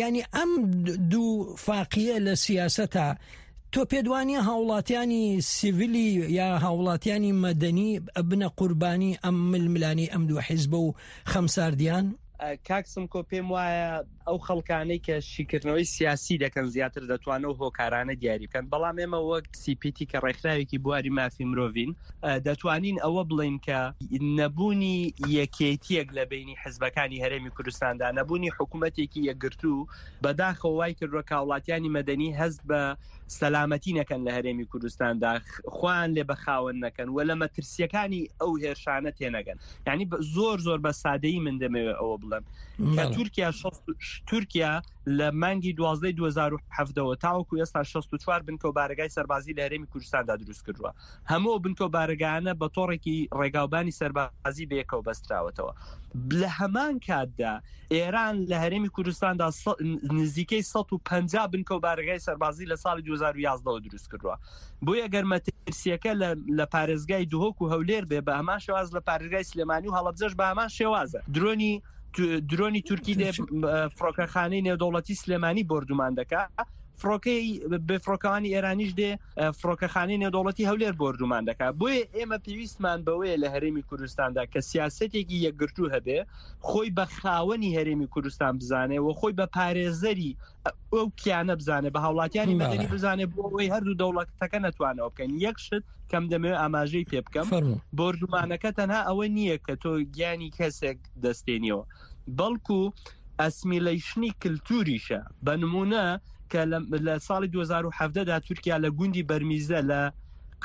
یعنی ئەم دوو فاقیە لە سیاسەتە تۆ پێدوانیە هاوڵاتیانی سیڤیلی یا هاوڵاتیانی مەدەنی ئەبنە قوربانی ئەم ململانی ئەم دوو حیزبە و خەمساردیان؟ کاک سمکۆ، پێم وایە ئەو خەڵکانەی کە شیکردنەوەی سیاسی دەکەن زیاتر دەتوانن و هۆکارانە دیاری بکەن، بەڵام ئێمە وەک سی پی تی کە ڕێکخراوێکی بواری مافی مرۆڤین دەتوانین ئەوە بڵێین کە نەبوونی یەکێتیەک لە بینی حزبەکانی هەرێمی کوردستاندا، نەبوونی حکوومەتێکی یەکگرتوو بەداخەوە وای کردووە کە هاوڵاتیانی مەدەنی هەست بە سەلامەتی نەکەن لە هەرێمی کوردستاندا، خۆیان لێ بەخاوەن نەکەن و لە مەترسیەکانی ئەو هێرشانە تێنەگەن. یعنی زۆر زۆر بە سادەیی من دەمەوێت ئەوە بڵێم کە تورکیا تورکیا لە مانگی دوازدەی دوو هەزار و حەڤدەوە تاوەکو ئێستا شەست و چوار بنکە و بارەگای سەربازی لە هەرێمی کوردستاندا دروست کردووە. هەموو بنکە و بارەگایانە بە تۆڕێکی ڕێگاوبانی سەربازی بەیەکەوە بەستراوەتەوە. لە هەمان کاتدا ئێران لە هەرێمی کوردستاندا نزیکەی سەد و پەنجا بنکە و بارەگای سەربازی لە ساڵی دوو هەزار و یازدەوە دروست کردووە. بۆیە ئەگەر مەترسیەکە لە پارێزگای دهۆک و هەولێر بێ بە هەمان شێواز لە پارێزگای سلێمانی و هەڵەبجەش بە هەمان شێوازە. درۆنی درۆنی تورکی دێ فڕۆکەخانەی نێودەوڵەتی سلێمانی بۆردومان دەکا، فڕۆکەی بێفڕۆکەوانی ئێرانیش دێ فڕۆکەخانەی نێودەوڵەتی هەولێر بۆردومان دەکا. بۆیە ئێمە پێویستمان بەوەیە لە هەرێمی کوردستاندا کە سیاسەتێکی یەکگرتوو هەبێ، خۆی بە خاوەنی هەرێمی کوردستان بزانێ و خۆی بە پارێزەری ئەو کیانە بزانێ، بە هاوڵاتیانی مەدەنی بزانێ، بۆ ئەوەی هەردوو دەوڵەتەکە نەتوانەوە بکەن. یەک شت کەم دەمەوێت ئاماژەی پێ بکەم، بۆردومانەکە تەنها ئەوە نییە کە تۆ گیانی کەسێک دەستێنیەوە، بەڵکو ئەسمیلەیشنی کللتوریشە. بە نمونە کە لە ساڵی دوو هەزار و حەڤدەدا تورکیا لە گوندی بەرمیزە لە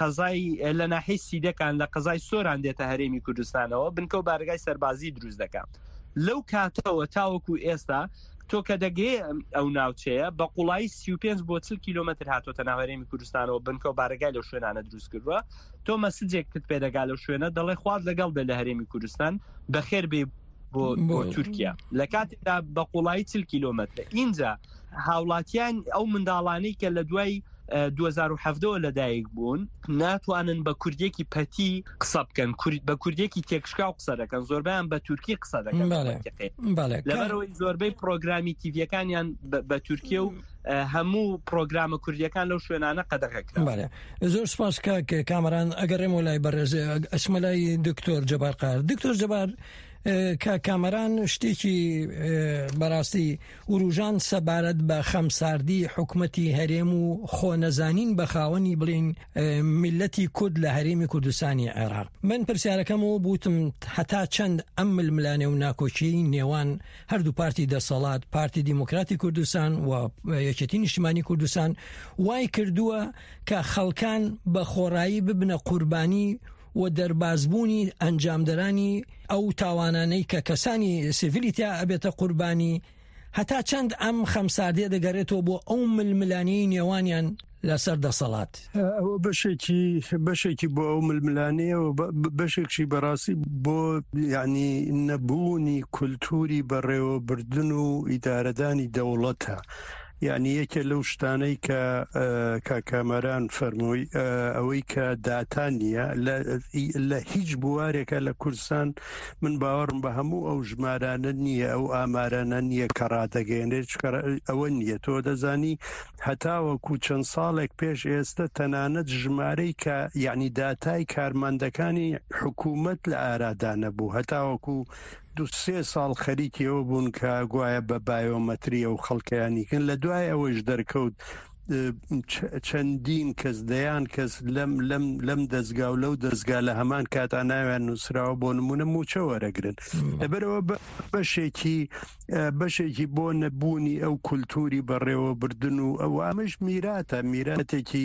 قەزای لە ناحیەی سیدەکان لە قەزای سۆران دێتە هەرێمی کوردستانەوە، بنکە و بارگای سەربازی دروست دەکات. لەو کاتەوە تاوەکو ئێستا تۆ کە دەگەی ئەو ناوچەیە بە قوڵایی سی و پێنج بۆ چل کیلۆمەتر هاتۆتە ناو هەرێمی کوردستانەوە، بنکە و بارگای لەو شوێنانە دروست کردووە. تۆ مەسجێکت پێدەگا لەو شوێنە دەڵێ خوات لەگەڵ بێ لە هەرێمی کوردستان، بەخێر بێ بۆ تورکیا، لە کاتێکدا بە قوڵایی چل کیلۆمەترە. ئینجا هاوڵاتیان ئەو منداڵانەی کە لە دوای دوو هەزار و حەڤدە وە لەدایک بوون ناتوانن بە کوردیەکی پەتی قسە بکەن، بە کوردیەکی تێکشکاو قسە دەکەن، زۆربەیان بە تورکی قسە دەکەن. لەبەرەوەی زۆربەی پرۆگرامی تیڤیەکانیان بە تورکیە و هەموو پرۆگرامە کوردیەکان لەو شوێنانە قەدەغە کرا. بەڵێ زۆر سپاس کاک کامەران. ئەگەڕێمەوە لای بەڕێز ئەچمە لای دکتۆر جەبار قار. دکتۆر جەبار، کاک کامەران شتێکی بەڕاستی وروژان سەبارەت بە خەمساردی حکومەتی هەرێم و خۆنەزانین بە خاوەنی بڵین میلەتی کورد لە هەرێمی کوردستانی عێراق. من پرسیارەکەمەوە بوتم هەتا چەند ئەم ململانێ و ناکۆکیی نێوان هەردوو پارتی دەسەڵات، پارتی دیموکراتی کوردستان و یەکێتی نیشتمانی کوردستان، وای کردووە کە خەڵکان بە خۆڕایی ببنە قوربانی و دەربازبوونی ئەنجامدەرانی ئەو تاوانانەی کە کەسانی سیڤیلی تیا ئەبێتە قوربانی، هەتا چەند ئەم خەمساردیە دەگەڕێتەوە بۆ ئەو ململانەی نێوانیان لەسەر دەسەڵات؟ ئەوە بەشێکی بەشێکی بۆ ئەو ململانەیە و بەشێکشی بەڕاستی بۆ یعنی نەبوونی کولتوری بەڕێوەبردن و ئیدارەدانی دەوڵەتە. یعنی یەکێ لەو شتانەی کە کاکامەران فەرمووی ئەوەی کە داتا نییە لە هیچ بوارێکە لە کوردستان، من باوەڕم بە هەموو ئەو ژمارانە نییە، ئەو ئامارانە نییە کە ڕادەگەیەنرێت، ئەوە نییە. تۆ دەزانی هەتاوەکو چەند ساڵێک پێش ئێستا تەنانەت ژمارەی کە یعنی داتای کارمەندەکانی حکوومەت لە ئارادا نەبوو، هەتاوەکو دوو سێ ساڵ خەریکیەوە بوون کە گوایە بە بایۆمەتری ئەو خەڵکەیانیکن. لە دوای ئەوەش دەرکەوت چەندین کەس، دەیان کەس لەم لەم لەم دەستگا و لەو دەستگا لە هەمان کاتا ناویان نووسراوە بۆ نمونە موچە وەرەگرن. لەبەرەوە بەشێکی بەشێکی بۆ نەبوونی ئەو کولتوری بەڕێوەبردن و ئەو ئەمەش میراتە، میراتێکی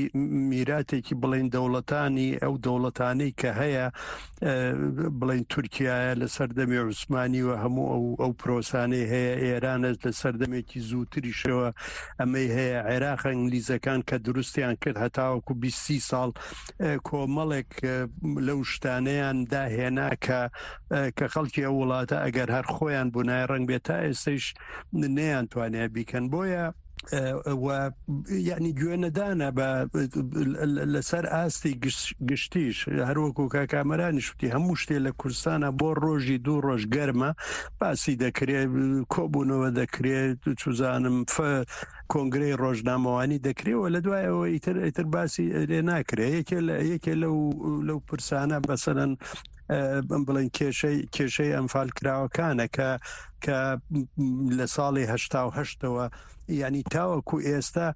میراتێکی بڵین دەوڵەتانی ئەو دەوڵەتانەی کە هەیە، بڵین تورکیایە لە سەردەمی عوسمانی و هەموو ئەو ئەو پرۆسانەی هەیە، ئێرانە لە سەردەمێکی زووتریشەوە ئەمەی هەیە، عێراق ئینگلیزەکان کە دروستیان کرد هەتاوەکو بیست سی ساڵ کۆمەڵێک لەو شتانەیان داهێنا کە کە خەڵکی ئەو وڵاتە ئەگەر هەر خۆیان بوونایە ڕەنگ بێت تا ئێستەیش نەیانتوانێ بیکەن. بۆیە و یعنی گوێنەدانە بە لەسەر ئاستی گشتیش، هەروەکو کاکامەرانیش وتی هەموو شتێ لە کوردستانە بۆ ڕۆژی دوو ڕۆژ گەرمە باسی دەکرێت، کۆبوونەوە دەکرێت، چوزانم کۆنگرەی ڕۆژنامەوانی دەکرێت و لە دوای ئەوە ئیتر ئیتر باسی لێ ناکرێت. یەکێ لە یەکێ لەو لەو پرسانە بەسەرەن بڵێن کێشەی کێشەی ئەنفال کراوەکانە کە کە لە ساڵی هەشتا و هەشتەوە یعنی تاوەکو ئێستا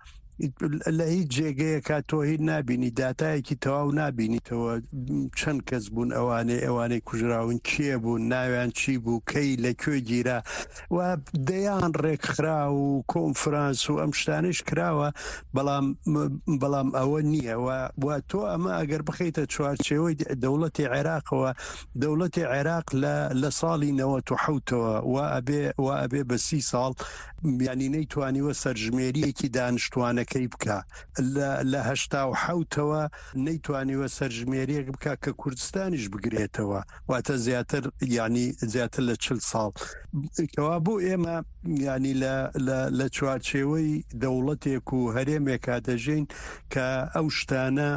لە هیچ جێگەیەکە تۆ هیچ نابینی، داتایەکی تەواو نابینیتەوە چەند کەس بوون ئەوانەی ئەوانەی کوژراون، کێ بوون، ناویان چی بوو، کەی لەکوێ گیرا و دەیان ڕێکخرا و کۆنفرانس و ئەم شتانەش کراوە، بەڵام بەڵام ئەوە نییە. و تۆ ئەمە ئەگەر بخەیتە چوارچێوەی دەوڵەتی عێراقەوە، دەوڵەتی عێراق لە لە ساڵی نەوەت و حەوتەوە و ئەبێ و ئەبێ بە سی ساڵ یعنی نەیتوانیوە سەرژمێریەکی دانیشتوانەکەی بکە. لە هەشتا و حەوتەوە نەیتوانیوە سەرژمێریەک بکە کە کوردستانیش بگرێتەوە، واتە زیاتر یعنی زیاتر لە چل ساڵ. کەوا بۆ ئێمە یعنی لە لە چوارچێوەی دەوڵەتێک و هەرێمێکا دەژین کە ئەو شتانە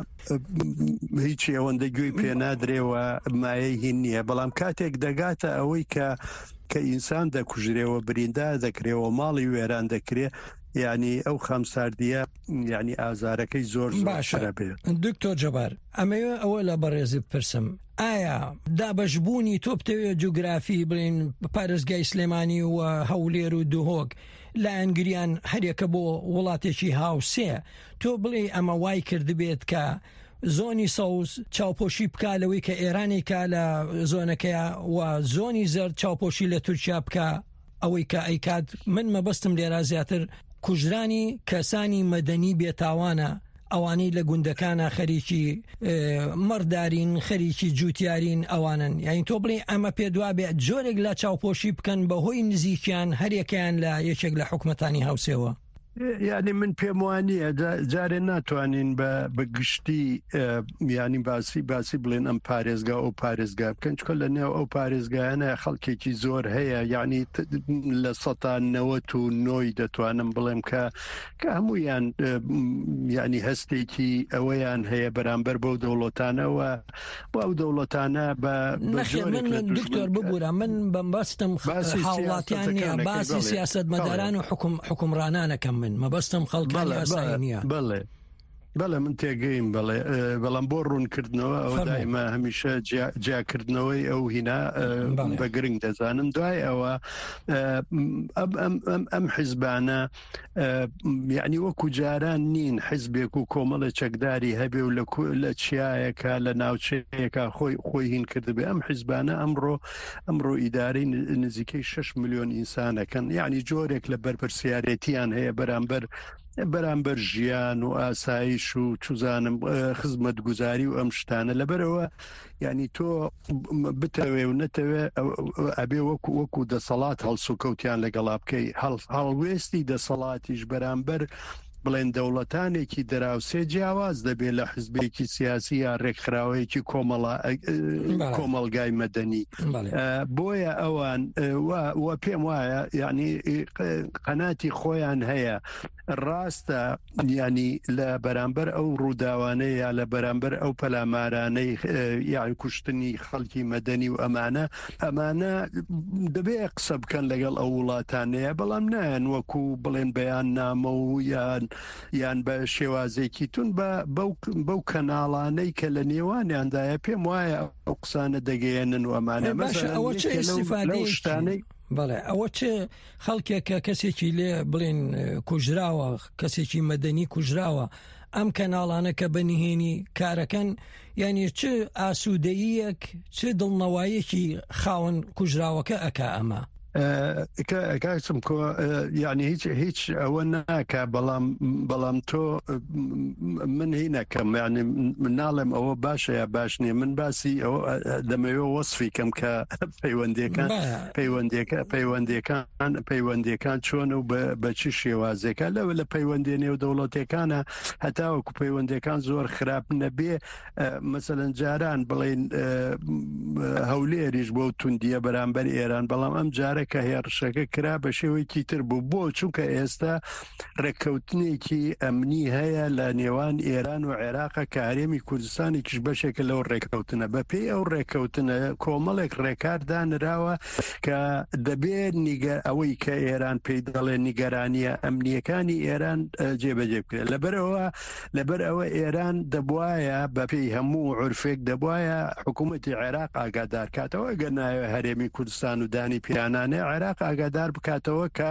هیچ ئەوەندە گوێی پێنادرێەوە، مایەی هین نییە. بەڵام کاتێک دەگاتە ئەوەی کە کە ئینسان دەکوژرێەوە، بریندار دەکرێەوە، ماڵی وێران دەکرێ، یعنی ئەو خەمساردیە یعنی ئازارەکەی زۆر باشە. دکتۆر جەبار، ئەمەوێ ئەوە لە بەڕێزی بپرسم، ئایا دابەشبوونی تۆ بتەوێت جوگرافی بڵین پارێزگای سلێمانی و هەولێر و دهۆک لایەنگریان هەرێکە بۆ وڵاتێکی هاوسێ، تۆ بڵێ ئەمە وای کردبێت کە زۆنی سەوز چاوپۆشی بکا لەوەی کە ئێرانێکا لە زۆنەکەیە و زۆنی زەرد چاوپۆشی لە تورکیا بکە ئەوەی کە ئەیکات؟ من مەبەستم لێرە زیاتر کوژرانی کەسانی مەدەنی بێتاوانە، ئەوانەی لە گوندەکانە خەریکی مەڕدارین، خەریکی جوتیارین، ئەوانن. یعنی تۆ بڵێ ئەمە پێدوا بێ جۆرێک لە چاوپۆشی بکەن بەهۆی نزیکیان هەرێکیان لە یەکێک لە حکومەتانی هاوسێوە؟ یعنی من پێم وانییە جارێ ناتوانین بە بە گشتی یعنی باسی باسی بڵێن ئەم پارێزگا ئەو پارێزگا بکەن، چونکە لە نێو ئەو پارێزگایانە خەڵکێکی زۆر هەیە، یعنی لە سەتا نەوەت و نۆی دەتوانم بڵێم کە کە هەمویان یعنی هەستێکی ئەوەیان هەیە بەرامبەر بەو دەوڵەتانەوە بۆ ئەو دەوڵەتانە بە من دکتۆر ببوورە من بەمبەستم هاوڵاتیان نییە، باسی سیاسەتمەداران و حکوم حکومڕانانەکەم من مەبەستم خەڵکانی ئاسایی نییە. بەڵێ بەڵێ من تێگەیم، بەڵێ بەڵام بۆ ڕوونکردنەوە ئەوە دائما هەمیشە جیاکردنەوەی ئەو هینا بە گرنگ دەزانم. دوای ئەوە ئەم حیزبانە یعنی وەکو جاران نین حیزبێک و کۆمەڵێ چەکداری هەبێ و لە چیایەکە لە ناوچەیەکە خۆی خۆی هین کردبێ. ئەم حیزبانە ئەمڕۆ ئەمڕۆ ئیدارەی نزیکەی شەش ملیۆن ئینسانەکەن، یعنی جۆرێک لە بەرپرسیارێتیان هەیە بەرامبەر بەرامبەر ژیان و ئاسایش و چوزانم خزمەتگوزاری و ئەم شتانە. لەبەرەوە یعنی تۆ بتەوێ و نەتەوێ ئەبێ وەکو وەکو دەسەڵات هەڵسوکەوتیان لەگەڵا بکەی. هەڵوێستی دەسەڵاتیش بەرامبەر بڵێن دەوڵەتانێکی دراوسێ جیاواز دەبێت لە حزبێکی سیاسی یا ڕێکخراوەیەکی کۆمەڵگای مەدەنی. بۆیە ئەوان و پێم وایە یعنی قەناتی خۆیان هەیە. ڕاستە یعنی لە بەرامبەر ئەو ڕووداوانەیە یا لە بەرامبەر ئەو پەلامارانەی یان کوشتنی خەڵکی مەدەنی و ئەمانە ئەمانە دەبێ قسە بکەن لەگەڵ ئەو وڵاتانەیە، بەڵام نایەن وەکو بڵێن بەیان نامە و یان یان بە شێوازێکی تون بەو کەناڵانەی کە لە نێوانیاندایە پێم وایە ئەو قسانە دەگەیەنن و ئەمانە. ئەوە چه ئیسیفادەیەکی بەڵێ ئەوە چه خەڵکێک کە کەسێکی لێ بڵێن کوژراوە، کەسێکی مەدەنی کوژراوە، ئەم کەناڵانە کە بە نهێنی کارەکەن، یعنی چ ئاسوودەیەک چ دڵنەوایەکی خاوەن کوژراوەکە ئەکا ئەمە؟ کاکسم کۆ یعنی هیچ هیچ ئەوە ناکە، بەڵام بەڵام تۆ من هی نەکەم، یعنی من ناڵێم ئەوە باشە یا باش نییە، من باسی ئەوە دەمەوێت وەصفی کەم کە پەیوەندیەکان پەیوەندیەکە پەیوەندیەکان پەیوەندیەکان چۆن و بە چی شێوازێکە لەوە لە پەیوەندی نێودەوڵەتەکانە هەتاوەکو پەیوەندیەکان زۆر خراپ نەبێ. مەسەلەن جاران بڵێن هەولێریش بۆ توندیە بەرامبەر ئێران، بەڵام ئەم جارە کە هێرشەکە کرا بە شێوەیەکی تر بوو بۆ چونکە ئێستا ڕێککەوتنێکی ئەمنی هەیە لە نێوان ئێران و عێراقە کە هەرێمی کوردستانێکیش بەشێکە لەو ڕێککەوتنە. بەپێی ئەو ڕێککەوتنە کۆمەڵێک ڕێکار دانراوە کە دەبێت ئەوەی کە ئێران پێی دەڵێ نیگەرانیە ئەمنیەکانی ئێران جێبەجێ بکرێت. لەبەرەوە لەبەر ئەوە ئێران دەبواە بەپێی هەموو عرفێک دەبواە حکوومەتی عێراق ئاگادار کاتەوە، ئەگەر ناوێ هەرێمی کوردستان و دانی پیانانێ عێراق ئاگادار بکاتەوە کە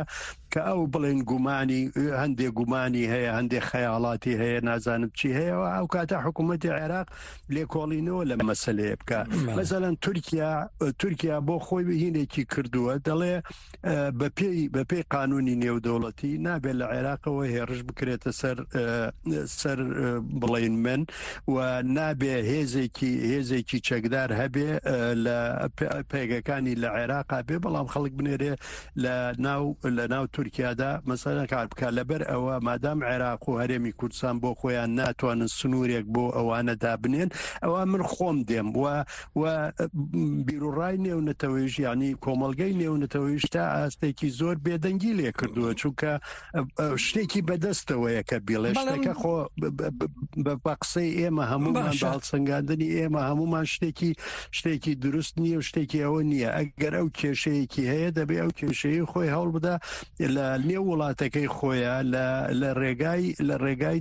کە ئەو بڵێن گومانی هەندێک گومانی هەیە، هەندێک خەیاڵاتی هەیە، نازانم چی هەیە، ئەو کاتە حکوومەتی عێراق لێکۆڵینەوە لە مەسلەیە بکە. مەسەلەن تورکیا تورکیا بۆ خۆی هینێکی کردووە، دەڵێ بەپێی بەپێی قانونی نێودەوڵەتی نابێت لە عێراقەوە هێرش بکرێتە سەر سەر بڵێن من و نابێ هێزێکی هێزێکی چەکدار هەبێ لە پێگەکانی لە عێراقا بێ، بەڵام خەڵک بنێرێ لە ناو لە ناو تورکیادا مەسەلەن کار بکە. لەبەر ئەوە مادام عێراق و هەرێمی کوردستان بۆ خۆیان ناتوانن سنوورێک بۆ ئەوانە دابنێن، ئەوە من خۆم دێم و و بیرۆڕای نێونەتەوەیش یعنی کۆمەڵگەی نێونەتەوەیش تا ئاستێکی زۆر بێدەنگی لێ کردووە، چونکە شتێکی بەدەستەوەیە کە بیڵێ شتێکە خۆ بە قسەی ئێمە هەمومان بە هەڵسەنگاندنی ئێمە هەمومان شتێکی شتێکی دروست نییە و شتێکی ئەوە نییە. ئەگەر ئەو کێشەیەکی هەیە دەبێ ئەو کێشەیە خۆی هەوڵ بدە لە نێو وڵاتەکەی خۆیان لە ڕێگای لە ڕێگای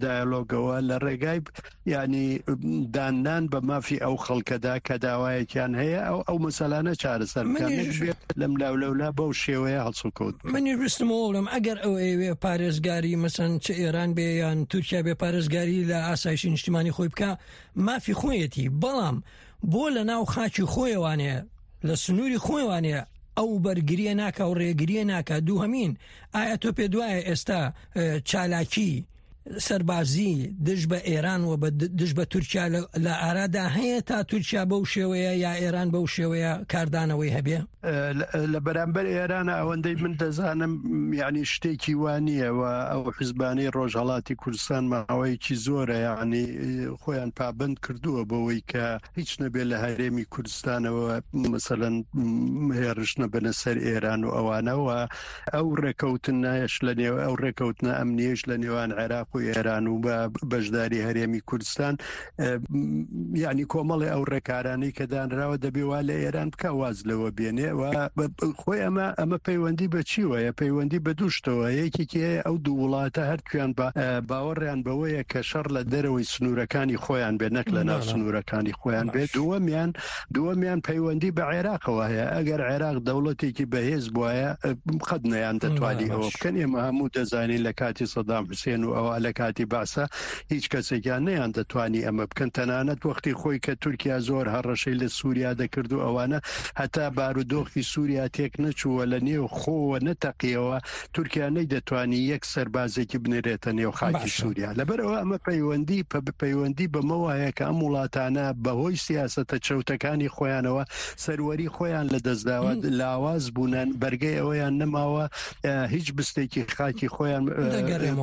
دیالۆگەوە لە ڕێگای ینی داننان بە مافی ئەو خەڵکەدا کە داوایەکیان هەیە ئەو ئەو مەسەلانە چارەسەر بکەن لەم لاولەولا بەو شێوەیە هەڵسوکەوت. منیش ویستمەوە بڵێم ئەگەر ئەو ئەیەوێ پارێزگاری مەسەن چ ئێران بێ یان تورکیا بێ پارێزگاری لە ئاسایشی نیشتیمانی خۆی بکە مافی خۆیەتی، بەڵام بۆ لە ناو خاکی خۆیەوانێ لە سنووری خۆیوانێ ئەو بەرگریە ناکە و ڕێگریە ناکە. دووهەمین، ئایا تۆ پێ دوایە ئێستا چالاکی سەربازی دژ بە ئێران و دژ بە تورکیا لە ئارادا هەیە تا تورکیا بەو شێوەیە یا ئێران بەو شێوەیە کاردانەوەی هەبێ؟ لە بەرامبەر ئێرانە ئەوەندەی من دەزانم یعنی شتێکی وانییە و ئەو حزبانەی ڕۆژهەڵاتی کوردستان ماوەیەکی زۆرە یعنی خۆیان پابند کردووە بەوەی کە هیچ نەبێت لە هەرێمی کوردستانەوە مەسەلەن هێرش نەبنە سەر ئێران و ئەوانەوە. ئەو ڕێکەوتنەش لە نێو ئەو ڕێکەوتنە ئەمنیەش لە نێوان عێراق و ئێران و بە بەشداری هەرێمی کوردستان یعنی کۆمەڵی ئەو ڕێکارانەی کە دانراوە دەبێ وا لە ئێران بکە واز لەوە بێنێ. و خۆی ئەمە ئەمە پەیوەندی بە چیوەیە؟ پەیوەندی بە دوو شتەوە. یەکێکی هەیە ئەو دوو وڵاتە هەرکوێن باوەڕیان بەوەیە کە شەڕ لە دەرەوەی سنوورەکانی خۆیان بێت نەک لە ناو سنوورەکانی خۆیان بێت. دووەمیان دووەمیان پەیوەندی بە عێراقەوە هەیە. ئەگەر عێراق دەوڵەتێکی بەهێز بوایە قەت نەیان دەتوانی ئەوە بکەن. ئێمە هەموو دەزانین لە کاتی سەدام حوسێن و ئەوە لە کاتی بەعسە هیچ کەسێکیان نەیان دەتوانی ئەمە بکەن. تەنانەت وەختی خۆی کە تورکیا زۆر هەڕەشەی لە سووریا دەکرد و ئەوانە هەتا بارودۆخی سووریا تێک نەچووە لە نێو خۆوە نەتەقیەوە تورکیا نەیدەتوانی یەک سەربازێکی بنێرێتە نێو خاکی سووریا. لەبەرەوە ئەمە پەیوەندی پەیوەندی بەمەوە هەیە کە ئەم وڵاتانە بەهۆی سیاسەتە چەوتەکانی خۆیانەوە سەروەری خۆیان لەدەستداوە، لاواز بوونن، بەرگەی ئەوەیان نەماوە هیچ بستێکی خاکی خۆیان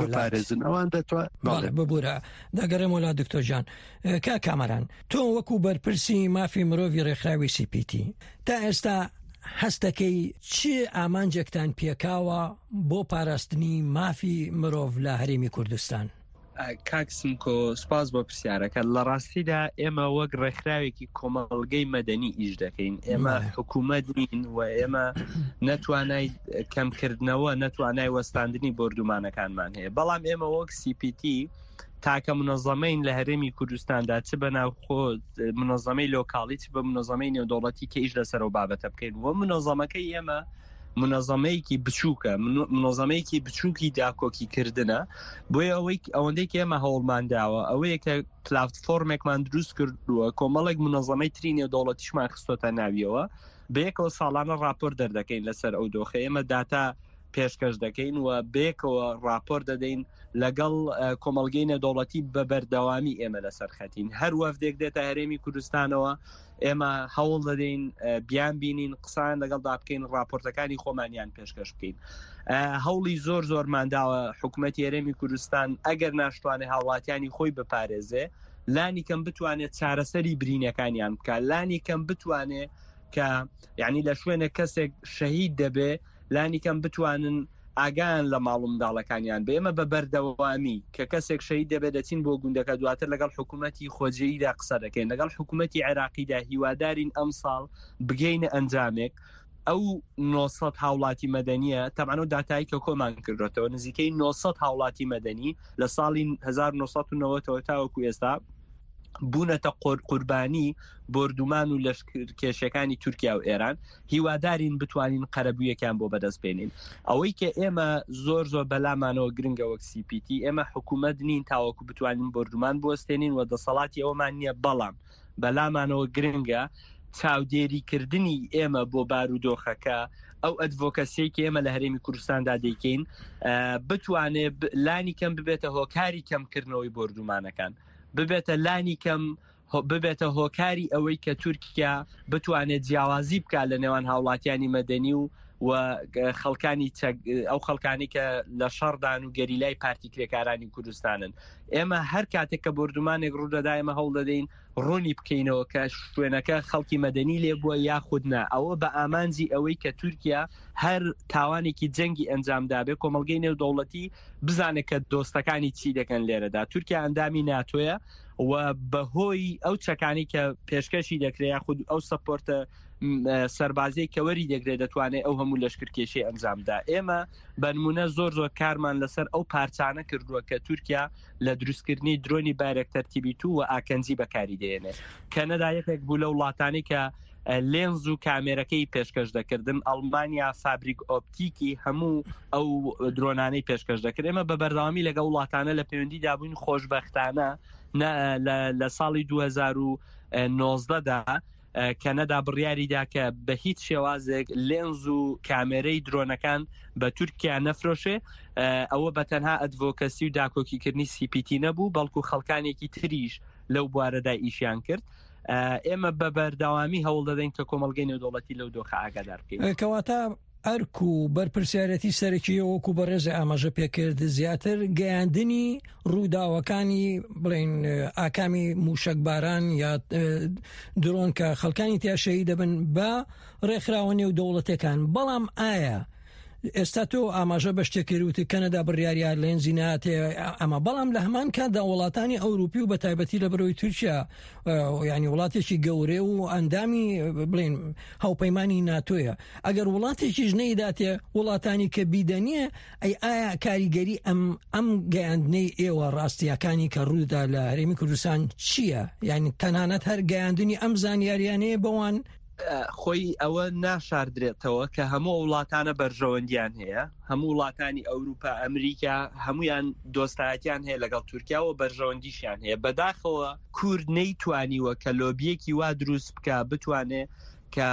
بپارێزن. ئەوان دەتوان ببوورە دەگەڕێمەوە لا دکتۆر جان. کا کامەران، تۆ وەکو بەرپرسی مافی مرۆڤی ڕێکخراوی سی پی تی تا ئێستا هەستەکەی چی ئامانجێکتان پێکاوە بۆ پاراستنی مافی مرۆڤ لە هەرێمی کوردستان؟ کاک سمکۆ، سپاس بۆ پرسیارەکە. لە ڕاستیدا ئێمە وەک ڕێکخراوێکی کۆمەڵگەی مەدەنی ئیش دەکەین. ئێمە حکوومەت نین و ئێمە نەتوانای کەمکردنەوە نەتوانای وەستاندنی بۆردومانەکانمان هەیە. بەڵام ئێمە وەک سی پی تی تاکە منەظەمەین لە هەرێمی کوردستاندا، چ بە ناوخۆ منەظەمەی لۆکاڵی چ بە منەظەمەی نێودەوڵەتی کە ئیش لەسەر ئەو بابەتە بکەین. وە منەظەمەکەی ئێمە منەظەمەیەکی بچووکە، منەظەمەیەکی بچووکی داکۆکیکردنە. بۆیە ئەوەی ئەوەندەی کە ئێمە هەوڵمان داوە ئەوەیە کە پلاتفۆرمێکمان دروست کردووە، کۆمەڵێک منەظەمەی تری نێودەوڵەتیشمان خستۆتە ناویەوە، بەیەکەوە ساڵانە راپۆر دەردەکەین لەسەر ئەو دۆخە. ئێمە داتا پێشکەش دەکەین و بەیەکەوە راپۆر دەدەین لەگەڵ کۆمەڵگەی نێودەوڵەتی بە بەردەوامی ئێمە لەسەر خەتین. هەر وەفدێک دێتە هەرێمی کوردستانەوە ئێمە هەوڵ دەدەین بیان بینین، قسان لەگەڵدا بکەین، راپۆرتەکانی خۆمانیان پێشکەش بکەین. هەوڵی زۆر زۆرمان داوە حکوومەتی هەرێمی کوردستان ئەگەر ناشتوانێت هاوڵاتیانی خۆی بپارێزێ، لانی کەم بتوانێت چارەسەری برینەکانیان بکات، لانی کەم بتوانێت کە یعنی لە شوێنێک کەسێک شەهید دەبێ لانی کەم بتوانن ئاگایان لە ماڵ و منداڵەکانیان بێ. ئێمە بە بەردەوامی کە کەسێک شەهید دەبێت دەچین بۆ گوندەکە، دواتر لەگەڵ حکوومەتی خۆجێیدا قسە دەکەین، لەگەڵ حکوومەتی عێراقیدا هیوادارین ئەمساڵ بگەینە ئەنجامێک. ئەو نۆ سەد هاوڵاتی مەدەنیە، تەبعەن ئەو داتایی کە کۆمان کردوێتەوە نزیکەی نۆ سەد هاوڵاتی مەدەنی لە ساڵی هەزار و نۆ سەد و نەوەد تاوەکو ئێستا بوونەتە قوربانی بۆردومان و لەشکرکێشەکانی تورکیا و ئێران. هیوادارین بتوانین قەرەبوویەکیان بۆ بەدەست بێنین. ئەوەی کە ئێمە زۆر زۆر بەلامانەوە گرنگە وەک سی پی تی، ئێمە حکوومەت نین تاوەکو بتوانین بۆردومان بوەستێنین و دەسەڵاتی ئەومان نییە، بەڵام بەلامانەوە گرنگە چاودێریکردنی ئێمە بۆ بارودۆخەکە، ئەو ئەدڤۆکەسیەی کە ئێمە لە هەرێمی کوردستاندا دەیکەین بتوانێت لانی کەم ببێتە هۆکاری کەمکردنەوەی بۆردومانەکان، ببێتە لانی کەم ببێتە هۆکاری ئەوەی کە تورکیا بتوانێت جیاوازی بکات لە نێوان هاوڵاتیانی مەدەنی و و خەڵکانی ئەو خەڵکانی کە لە شەڕدان و گەریلای پارتی کرێکارانی کوردستانن. ئێمە هەر کاتێک کە بۆردومانێک ڕوودەدا ئێمە هەوڵ دەدەین ڕوونی بکەینەوە کە شوێنەکە خەڵکی مەدەنی لێبووە یاخود نا، ئەوە بە ئامانجی ئەوەی کە تورکیا هەر تاوانێکی جەنگی ئەنجامدابێ کۆمەڵگەی نێودەوڵەتی بزانێت کە دۆستەکانی چی دەکەن لێرەدا. تورکیا ئەندامی ناتۆیە و بەهۆی ئەو چەکانی کە پێشکەشی دەکرێت یاخود ئەو سەپۆرتە سەربازیی کە وەری دەگرێت دەتوانێت ئەو هەموو لەشکرکێشی ئەنجامدا. ئێمە بەنمونە زۆر زۆر کارمان لەسەر ئەو پارچانە کردووە کە تورکیا لە دروستکردنی درۆنی بایرەکتەر تی بی دوو و ئاکەنجی بەکاری دێنێت. کەنەدا یەکێک بوو لەو وڵاتانی کە لێنز و کامێرەکەی پێشکەش دەکردن، ئەڵمانیا فابریک ئۆپتیکی هەموو ئەو درۆنانەی پێشکەش دەکرد. ئێمە بە بەردەوامی لەگەڵ وڵاتانە لە پەیوەندیدا بووین. خۆشبەختانە لە ساڵی دوو هەزار و نۆزدە دا کەنەدا بڕیاریدا کە بە هیچ شێوازێک لێنز و کامێرەی درۆنەکان بە تورکیا نەفرۆشێ. ئەوە بە تەنها advocacy و داکۆکیکردنی سی پی تی نەبوو، بەڵکو خەڵکانێکی تریش لەو بوارەدا ئیشیان کرد. ئێمە بە بەردەوامی هەوڵ دەدەین کە کۆمەڵگەی نێودەوڵەتی لەو دۆخە ئاگادار بکەین. کەواتە ئەرک و بەرپرسیارەتی سەرەکی وەکو بەڕێز ئاماژە پێکرد زیاتر گەیاندنی ڕووداوەکانی بڵێن ئاکامی موشەکباران یا درۆن کە خەڵکانی تیاشەیی دەبن بە ڕێکخراوە نێودەوڵەتەکان. بەڵام ئایا ئێستا تۆ ئاماژە بە شتێک کردوتی کەنەدا بڕیاریار لێنزی ناتێ ئەمە، بەڵام لە هەمان کاتدا وڵاتانی ئەوروپی و بە تایبەتی لە بەرەوەی تورکیا یعنی وڵاتێکی گەورەیە و ئەندامی بڵێن هاوپەیمانی ناتۆیە، ئەگەر وڵاتێکیش نەیداتێ وڵاتانی کە بیدەنیە، ئەی ئایا کاریگەری ئەم ئەم گەیاندنەی ئێوە ڕاستیەکانی کە ڕوودا لە هەرێمی کوردستان چییە؟ یعنی تەنانەت هەر گەیاندنی ئەم زانیاریانەیە بەوان خۆی ئەوە ناشاردرێتەوە کە هەموو وڵاتانە بەرژەوەندیان هەیە، هەموو وڵاتانی ئەوروپا، ئەمریکا، هەمویان دۆستایەتیان هەیە لەگەڵ تورکیا و بەرژەوەندیشیان هەیە. بەداخەوە کورد نەیتوانیوە کە لۆبیەکی وا دروست بکە، بتوانێ کە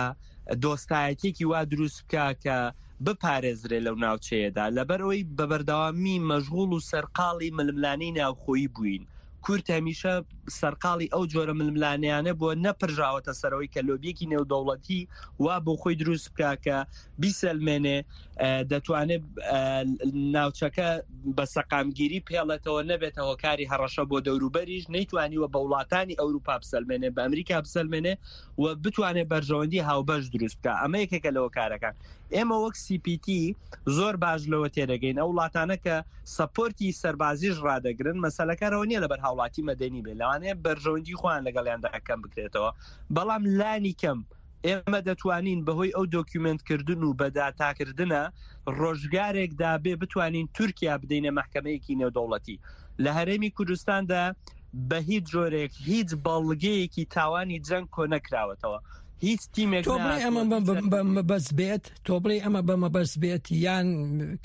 دۆستایەتێکی وا دروست بکە کە بپارێزرێ لەو ناوچەیەدا، لەبەر ئەوەی بە بەردەوامی مەشغوڵ و سەرقاڵی ململانەی ناوخۆیی بووین. کورد هەمیشە سەرقاڵی ئەو جۆرە ململانیانە بووە، نەپرژاوەتە سەرەوەی کە لۆبیەکی نێودەوڵەتی وا بۆ خۆی دروست بکە کە بیسەلمێنێ دەتوانێت ناوچەکە بە سەقامگیری پێڵێتەوە، نەبێتە هۆکاری هەڕەشە بۆ دەوروبەریش، نەیتوانیوە بە وڵاتانی ئەوروپا بسەلمێنێ، بە ئەمریکا بسەلمێنێ و بتوانێت بەرژەوەندی هاوبەش دروست بکە. ئەمە یەکێکە لە هۆکارەکان. ئێمە وەک سی پی تی زۆر باش لەوە تێدەگەین ئەو وڵاتانە کە support ی سەربازیش ڕادەگرن، مەسەلەکەرەوە نییە لەبەر هاوڵاتی مەدەنی بێ، لەوانەیە بەرژەوەندی خۆیان لەگەڵیاندا کەم بکرێتەوە، بەڵام لانی کەم ئێمە دەتوانین بەهۆی ئەو document کردن و بەداتاکردنە ڕۆژگارێکدا بێ بتوانین تورکیا بدەینە مەحکەمەیەکی نێودەوڵەتی. لە هەرێمی کوردستاندا بە هیچ جۆرێک هیچ بەڵگەیەکی تاوانی جەنگ کۆ نەکراوەتەوە، هیچ تیمێک تۆ بڵێ ئەمە بە مەبەست بێت، تۆ بڵێ ئەمە بە مەبەست بێت یان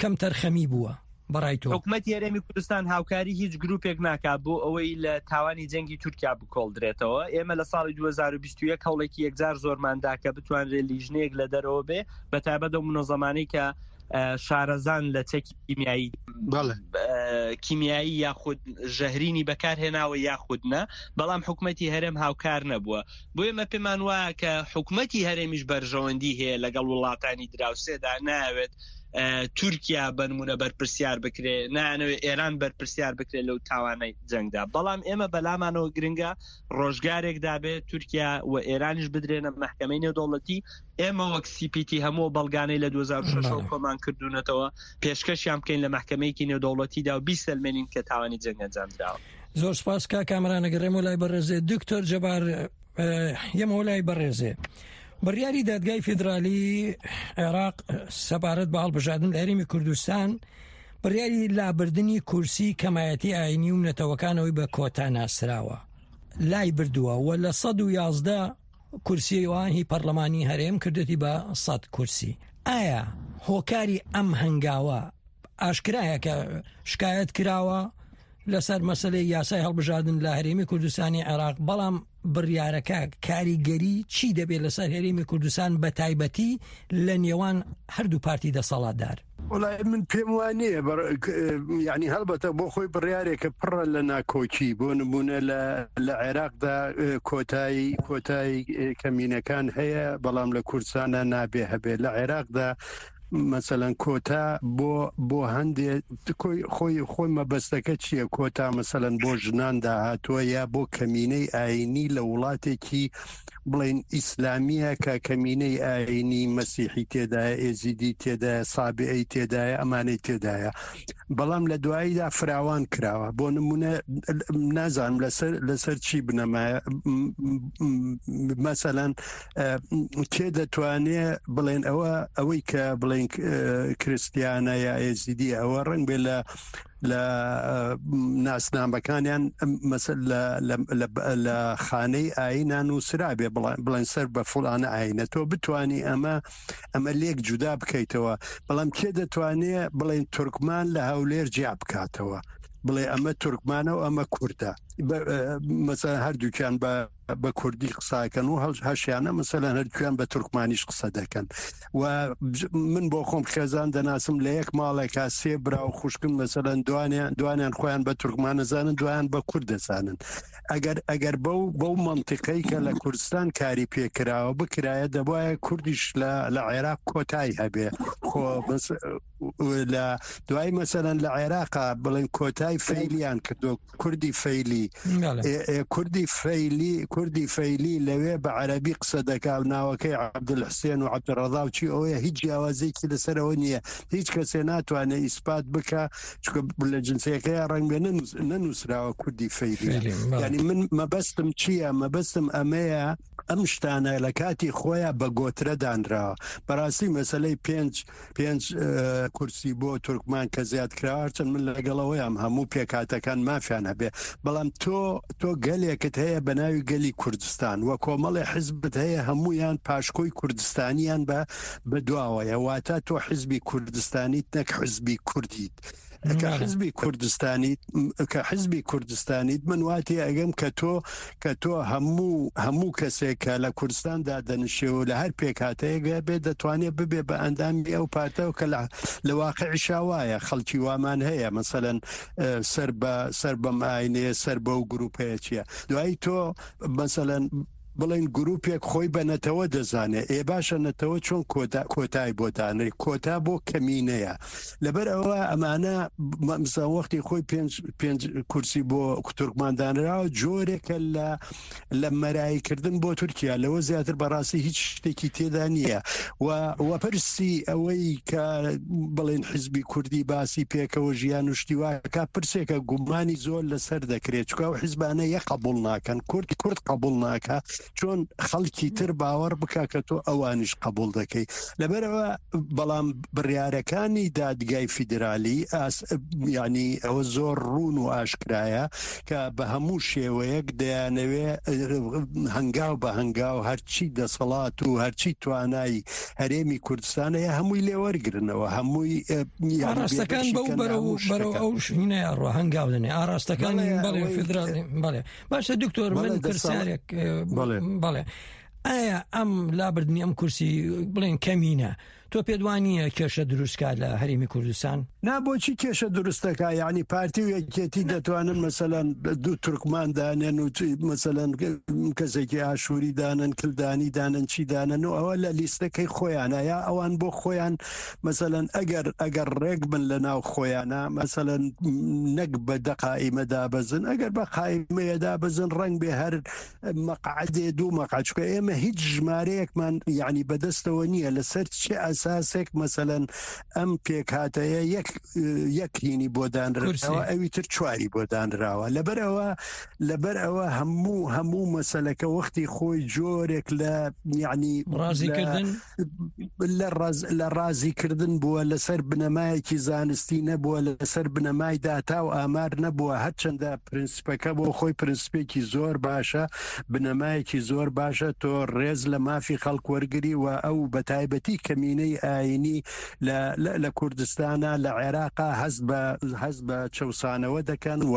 کەم تەرخەمی بووە بەڕای تۆ؟ حکومەتی هەرێمی کوردستان هاوکاری هیچ گروپێک ناکات بۆ ئەوەی لە تاوانی جەنگی تورکیا بکۆڵدرێتەوە. ئێمە لە ساڵی دوو هەزار و بیست و یەک هەوڵێکی یەکجار زۆرماندا کە بتوانرێت لیژنەیەک لە دەرەوە بێ، بە تایبەت ئەو منەزەمانەی کە شارەزان لە چەکی کیمیایی کیمیایی یاخود ژەهرینی بەکارهێناوە یاخود نە، بەڵام حکومەتی هەرێم هاوکار نەبووە. بۆ ئێمە پێمان وایە کە حکومەتی هەرێمیش بەرژەوەندی هەیە لەگەڵ وڵاتانی دراوسێدا، ناوێت تورکیا بنمونە بەرپرسیار بکرێ، نانەوێت ئێران بەرپرسیار بکرێت لەو تاوانەی جەنگدا. بەڵام ئێمە بەلامانەوە گرنگە ڕۆژگارێکدا بێت تورکیا و ئێرانیش بدرێنە مەحکەمەی نێودەوڵەتی. ئێمە وەک سی پی تی هەموو بەڵگانەی لە دوو هەزار و شەش کۆمان کردوونەتەوە پێشکەشیان بکەین لە مەحکەمەیەکی نێودەوڵەتیدا و بیسەلمێنین کە تاوانی جەنگ ئەنجام دراوە. زۆر سپاس کا کامرانە گەڕێمەوە لای بەڕێزێ دکتۆر جەبار، یەمەوە لای بەڕێزێ. بڕیاری دادگای فیدرالی عێراق سەبارەت بە هەڵبژاردن لە هەرێمی کوردستان بڕیاری لابردنی کورسی کەمایەتی ئاینی و نەتەوەکانەوەی بە کۆتا ناسراوە لای بردووە و لە سەد و یازدە کورسیوان هی پەرلەمانی هەرێم کردێتی بە سەد کورسی. ئایا هۆکاری ئەم هەنگاوە ئاشکرایە کە شکایەت کراوە لەسەر مەسلەی یاسای هەڵبژاردن لە هەرێمی کوردستانی عێراق، بەڵام بڕیارەکە کاریگەری چی دەبێت لەسەر هەرێمی کوردستان بە تایبەتی لە نێوان هەردوو پارتی دەسەڵاتدار؟ وڵای من پێم وانەیە، یعنی هەڵبەتە بۆ خۆی بڕیارێکە پڕە لە ناکۆکی. بۆ نمونە لە عێراقدا کۆتایی کۆتایی کەمینەکان هەیە، بەڵام لە کوردستانە نابێ هەبێت. لە عێراقدا مثلا کۆتا بۆ بۆ هەندێک خۆی خۆی مەبەستەکە چییە؟ کۆتا مثلا بۆ ژنان داهاتووە یا بۆ کەمینەی ئاینی لە وڵاتێکی بڵێن ئیسلامیە کە کەمینەی ئاینی مەسیحی تێدایە، ئێزیدی تێدایە، سابعی تێدایە، ئەمانەی تێدایە، بەڵام لە دواییدا فراوان کراوە. بۆ نمونە نازانم لەسەر لەسەر چی بنەمایە، مەسەلەن کێ دەتوانێ بڵێن ئەوە ئەوەی کە بڵێن کریسیانە یا ئێزیدی ئەوە ڕنگ بێ لە لە ناسنامەکانیان لە خانەی ئاینان و سرابێ بڵێن سەر بە فڵانە ئاینە، تۆ بتانی ئەمە ئەمە لێک جودا بکەیتەوە. بەڵام کێ دەتوانێ بڵێن تورکمان لە هەولێر جیا بکاتەوە؟ بڵێ ئەمە تورکمانە و ئەمە کوردە. مەسەلەن هەردووکیان بە بە کوردی قساکەن و هەشیانە مەسەلەن هەردووکیان بە تورکمانیش قسە دەکەن. و من بۆ خۆم خێزان دەناسم لە یەک ماڵێکا سێ برا و خوشکن، مەسەلەن دوانیان دوانیان خۆیان بە تورکمان دەزانن، دوایان بە کورد دەزانن. ئەگەر ئەگەر بەو بەو منطقەی کە لە کوردستان کاری پێکراوە بکرایە، دەبایە کوردیش لە لە عێراق کۆتایی هەبێ. خۆ لە دوای مەسەلەن لە عێراقا بڵێن کۆتای فەیلیان کردو، کوردی فەیلی کوردی فەیلی کوردی فەیلی لەوێ بە عەرەبی قسە دەکا و ناوەکەی عەبدولحسێن و عەبدولڕەزا و چی ئەوەیە، هیچ جیاوازێکی لەسەرەوە نییە. هیچ کەسێ ناتوانێت ئیسپات بکە، چونکە لە جنسیەکەی ڕەنگ بێ نەنووسراوە کوردی فەیلی. یعنی من مەبەستم چییە؟ مەبەستم ئەمەیە ئەم شتانە لە کاتی خۆیان بە گۆترە دانراوە. بەڕاستی مەسلەی پێنج پێنج کورسی بۆ تورکمان کە زیاد کراوە، هەرچەند من لەگەڵەوەیام هەموو پێکهاتەکان مافیان هەبێ، بەڵام تۆ تۆ گەلێکت هەیە بە ناوی گەلی کوردستان و کۆمەڵی حزبت هەیە هەمویان پاشکۆی کوردستانیان بە بەدواوەیە. واتە تۆ حزبی کوردستانیت نەک حزبی کوردیت. کە حزبی کوردستانیت کە حزبی کوردستانیت من واتی ئەگەم کە تۆ کە تۆ هەموو هەموو کەسێک کە لە کوردستاندا دەنیشێ و لە هەر پێکهاتەیەک بێ دەتوانێت ببێ بە ئەندامی ئەو پارتەوە کە لە واقعیشا وایە. خەڵکی وامان هەیە مەسەلەن سەر بە سەر بەم ئاینەیە، سەر بەو گروپەیە چییە. دوایی تۆ مەسەلەن بڵێن گروپێک خۆی بە نەتەوە دەزانێت، ئێ باشە نەتەوە چۆن کۆتای بۆ دانرێ؟ کۆتا بۆ کەمینەیە. لەبەر ئەوە ئەمانە مەسەلەن وەختی خۆی پێنج پێنج کورسی بۆ تورکمان دانراوە، جۆرێکە لە لە مەراییکردن بۆ تورکیا، لەوە زیاتر بەڕاستی هیچ شتێکی تێدا نییە. و پرسی ئەوەی کە بڵێن حزبی کوردی باسی پێکەوە ژیان و شتی واکە، پرسێکە گومانی زۆر لەسەر دەکرێت، چونکە ئەو حزبانە یە قبول ناکەن، کورد کورد قبول ناکە، چۆن خەڵکی تر باوەڕ بکە کە تۆ ئەوانیش قبول دەکەی. لەبەرەوە بەڵام بڕیارەکانی دادگای فیدرالی ینی ئەوە زۆر ڕوون و ئاشکرایە کە بە هەموو شێوەیەک دەیانەوێ هەنگاو بە هەنگاو هەرچی دەسەڵات و هەرچی توانای هەرێمی کوردستانەیە هەمووی لێوەرگرنەوە، هەمووی ئاراستەکان بەو بەرەو بەرەو ئەو شوێنەیە ڕۆ هەنگاو دەنێ ئاراستەکانی بەڵێ فیدرالی. بەڵێ باشە دکتۆر، من پرسیارێک بەڵێ، ئایا ئەم لابردنی ئەم کورسی بڵێن کەمینە تۆ پێدوانیە کێشە دروستکات لە هەرێمی کوردستان؟ نا، بۆچی کێشە دروستەکە؟ یعنی پارتی و یەکێتی دەتوانن مەسەلەن دوو تورکمان دانێن و مەسەلەن کەسێکی ئاشووری دانن، کلدانی دانن، چی دانن و ئەوە لە لیستەکەی خۆیانە. یا ئەوان بۆ خۆیان مەسەلەن ئەگەر ئەگەر ڕێک بن لە ناو خۆیانە، مەسەلەن نەک بە دە قائیمە دابەزن، ئەگەر بە قائیمەیە دابەزن ڕەنگ بێ هەر مەقعدێ دوو مەقعد، چونکە ئێمە هیچ ژمارەیەکمان یعنی بەدەستەوە نییە لەسەر چه ئەساسێک مەسەلەن ئەم پێکهاتەیە یەک یەک هینی بۆ دانراوە، ئەوی تر چواری بۆ دانراوە. لەبەر ئەوە لەبەر ئەوە هەموو هەموو مەسەلەکە وەختی خۆی جۆرێک لە یعنی ڕازیکردن لە ڕازیکردن بووە، لەسەر بنەمایەکی زانستی نەبووە، لەسەر بنەمای داتا و ئامار نەبووە. هەرچەندە پرنسپەکە بۆ خۆی پرنسپێکی زۆر باشە، بنەمایەکی زۆر باشە، تۆ ڕێز لە مافی خەڵک وەرگری و ئەو بەتایبەتی کەمینەی ئاینی لە کوردستانە لە عێراقا هەست بە هەست بە چەوسانەوە دەکەن و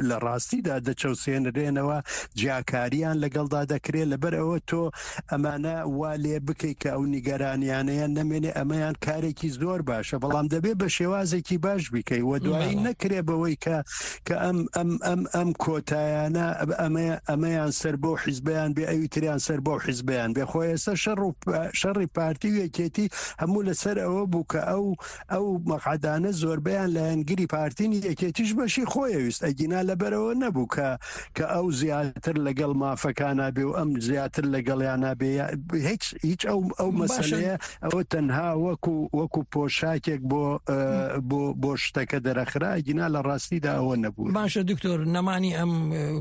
لە ڕاستیدا دەچەوسێنرێنەوە، جیاکاریان لەگەڵدا دەکرێت. لەبەر ئەوە تۆ ئەمانە وا لێ بکەیت کە ئەو نیگەرانیانەیان نەمێنێ، ئەمەیان کارێکی زۆر باشە، بەڵام دەبێت بە شێوازێکی باش بیکەی و دوایی نەکرێ بەوەی کە کە ئەم ئەم ئەم ئەم کۆتایانە ئەمەیان سەر بۆ حیزبیان بێ، ئەوی تریان سەر بۆ حیزبیان بێ. خۆ ئێستا شەڕ و شەڕی پارتی و یەکێتی هەموو لەسەر ئەوە بوو کە ئەو ئەو مەقعدانە زۆربەیان لایەنگری پارتین، یەکێتیش بەشی خۆیەویست، ئەگینا لەبەرەوە نەبوو کە کە ئەو زیاتر لەگەڵ مافەکانە بێ و ئەم زیاتر لەگەڵیانە بێ. هیچ هیچ ئەو ئەو مەسەلەیە ئەوە تەنها وەکو وەکو پۆشاکێک بۆ بۆ بۆ شتەکە دەرەخرا، ئەگینا لە ڕاستیدا ئەوە نەبوو. باشە دکتۆر، نەمانی ئەم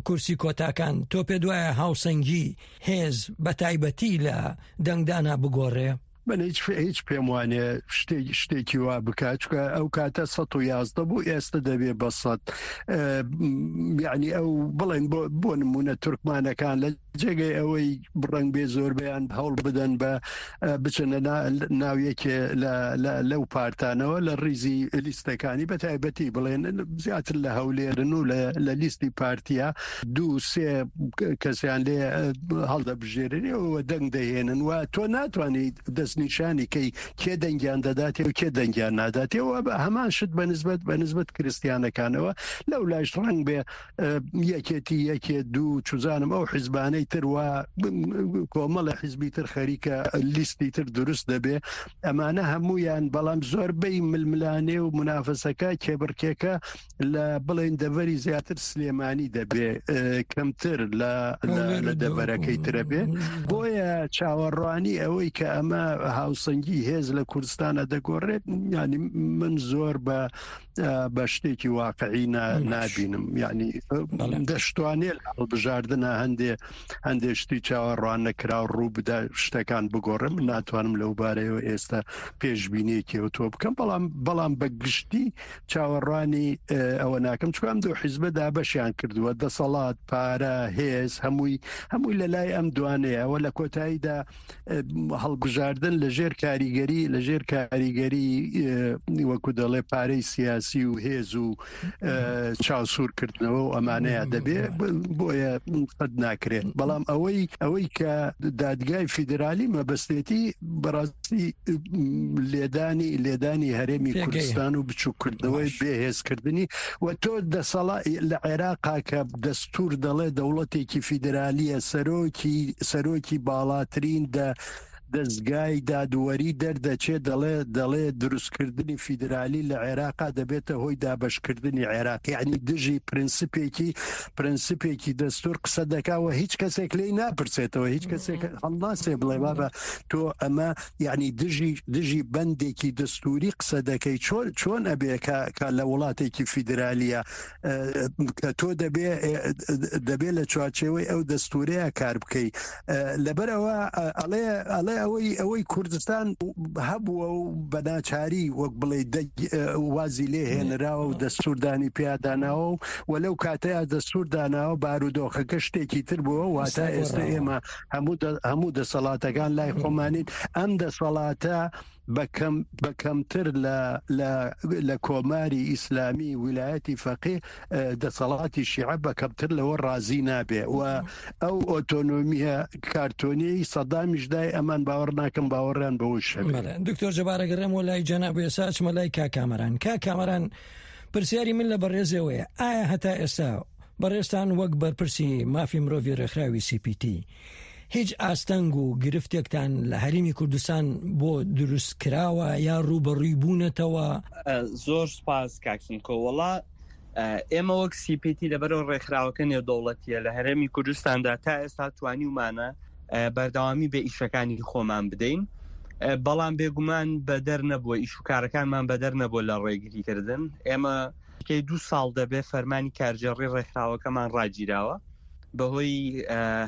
کورسی کۆتاکان تۆ پێ دوایە هاوسەنگی هێز بە تایبەتی لە دەنگدانا بگۆڕێ؟ من هیچ هیچ پێم وانێ شتێک شتێکی وا بکات، چونکە ئەو کاتە سەد و یازدە بوو، ئێستا دەبێ بە سەد. یعنی ئەو بڵێن بۆ بۆ نمونە تورکمانەکان لە جێگەی ئەوەی ڕەنگ بێ زۆربەیان هەوڵ بدەن بە بچنە ناو یەکێ لەو پارتانەوە لە ڕیزی لیستەکانی، بە تایبەتی بڵێن زیاتر لە هەولێرن و لە لیستی پارتیا دوو سێ کەسیان لێ هەڵدەبژێرن و دەنگ دەهێنن و تۆ ناتوانیت دەستنیشانی کەی کێ دەنگیان دەداتێ و کێ دەنگیان ناداتێ. و هەمان شت بە نسبەت بە نسبەت کریسیانەکانەوە لەو لایش ڕەنگ بێ یەکێتی یەکێ دوو چوزانم ئەو حیزبانەی تر و کۆمەڵە حیزبی تر خەریکە لیستی تر دروست دەبێ. ئەمانە هەمویان بەڵام زۆربەی ململانێ و منافەسەکە کێبڕکێکە لە بڵێن دەڤەری زیاتر سلێمانی دەبێ، کەمتر لە لە دەڤەرەکەی ترە بێ. بۆیە چاوەڕوانی ئەوەی کە ئەمە هاوسەنگی هێز لە کوردستانە دەگۆڕێت، ینی من زۆر بە بە شتێکی واقعی نابینم. یعنی دەشتوانێت هەڵبژاردنە هەندێ هەندێ شتی چاوەڕوان نەکراو ڕوو بدا شتەکان بگۆڕم. من ناتوانم لەو بارەیەوە ئێستا پێشبینیەکی تۆ بکەم، بەڵام بەڵام بە گشتی چاوەڕوانی ئەوە ناکەم، چونکە ئەم دوو حیزبە دابەشیان کردووە، دەسەڵات، پارە، هێز، هەمووی هەمووی لە لای ئەم دوانەیە. ئەوە لە کۆتاییدا هەڵبژاردن لەژێر کاریگەری لەژێر کاریگەری وەکو دەڵێ پارەی سیاسی و هێز و چاوسوورکردنەوە و ئەمانەیە دەبێ، بۆیە قەت ناکرێت. بەڵام ئەوەی ئەوەی کە دادگای فیدرالی مەبەستێتی بەڕاستی لێدانی لێدانی هەرێمی کوردستان و بچووکردنەوەی بێهێزکردنی و تۆ دەسەڵا لە عێراقا کە دەستور دەڵێ دەوڵەتێکی فیدرالیە، سەرۆکی سەرۆکی باڵاترین دە دەستگای دادوەری دەردەچێت دەڵێ دەڵێ دروستکردنی فیدرالی لە عێراقا دەبێتە هۆی دابەشکردنی عێراق. یعنی دژی پرنسپێکی پرنسپێکی دەستور قسە دەکاوە، هیچ کەسێک لێی ناپرسێتەوە، هیچ کەسێک هەڵناسێ بڵێ بابە تۆ ئەمە یعنی دژی دژی بەندێکی دەستوری قسە دەکەی. چۆن چۆن ئەبێ کە لە وڵاتێکی فیدرالیە کە تۆ دەبێ دەبێ لە چوارچێوەی ئەو دەستورەیە کار بکەی. لەبەرەوە ئەڵێ ئەڵێ ئەوەی ئەوەی کوردستان هەبووە و بەناچاری وەک بڵێ وازی لێ هێنراوە و دەستوردانی پیاداناوە و لەو کاتەیە دەستور داناوە بارودۆخەکە شتێکی تر بووە. واتە ئێستا ئێمە هەموو دەسەڵاتەکان لای خۆمانین. ئەم دەسەڵاتە بە کەمتر لە کۆماری ئیسلامی ویلایەتی فەقی دەسەڵاتی شیعە بە کەمتر لەوە ڕازی نابێ و ئەو ئۆتۆنۆمیە کارتۆنیەی سەدامیش دای ئەمان باوەڕ ناکەم باوەڕیان بەوەش هەبێ. دکتۆر جەبار ئەگەڕێم وە لای جەناب ئێستا ئەچمە لای کاک کامەران. کاک کامەران، پرسیاری من لە بەڕێزەوەیە، ئایا هەتا ئێستا بەڕێزتان وەک بەرپرسی مافی مرۆڤی ڕێکخراوی سی پی تی هیچ ئاستەنگ و گرفتێکتان لە هەرێمی کوردستان بۆ دروست کراوە یا ڕووبەڕووی بوونەتەوە؟ زۆر سپاس کاک سمکۆ. وەڵا ئێمە وەک سی پی تی لەبەرەوە ڕێکخراوەکە نێودەوڵەتیە لە هەرێمی کوردستاندا تا ئێستا توانیومانە بەردەوامی بە ئیشەکانی خۆمان بدەین، بەڵام بێگومان بەدەر نەبووە، ئیش و کارەکانمان بەدەر نەبووە لە ڕێگریکردن. ئێمە دوو ساڵ دەبێ فەرمانی کارگێڕی ڕێکخراوەکەمان ڕاگیراوە بەهۆی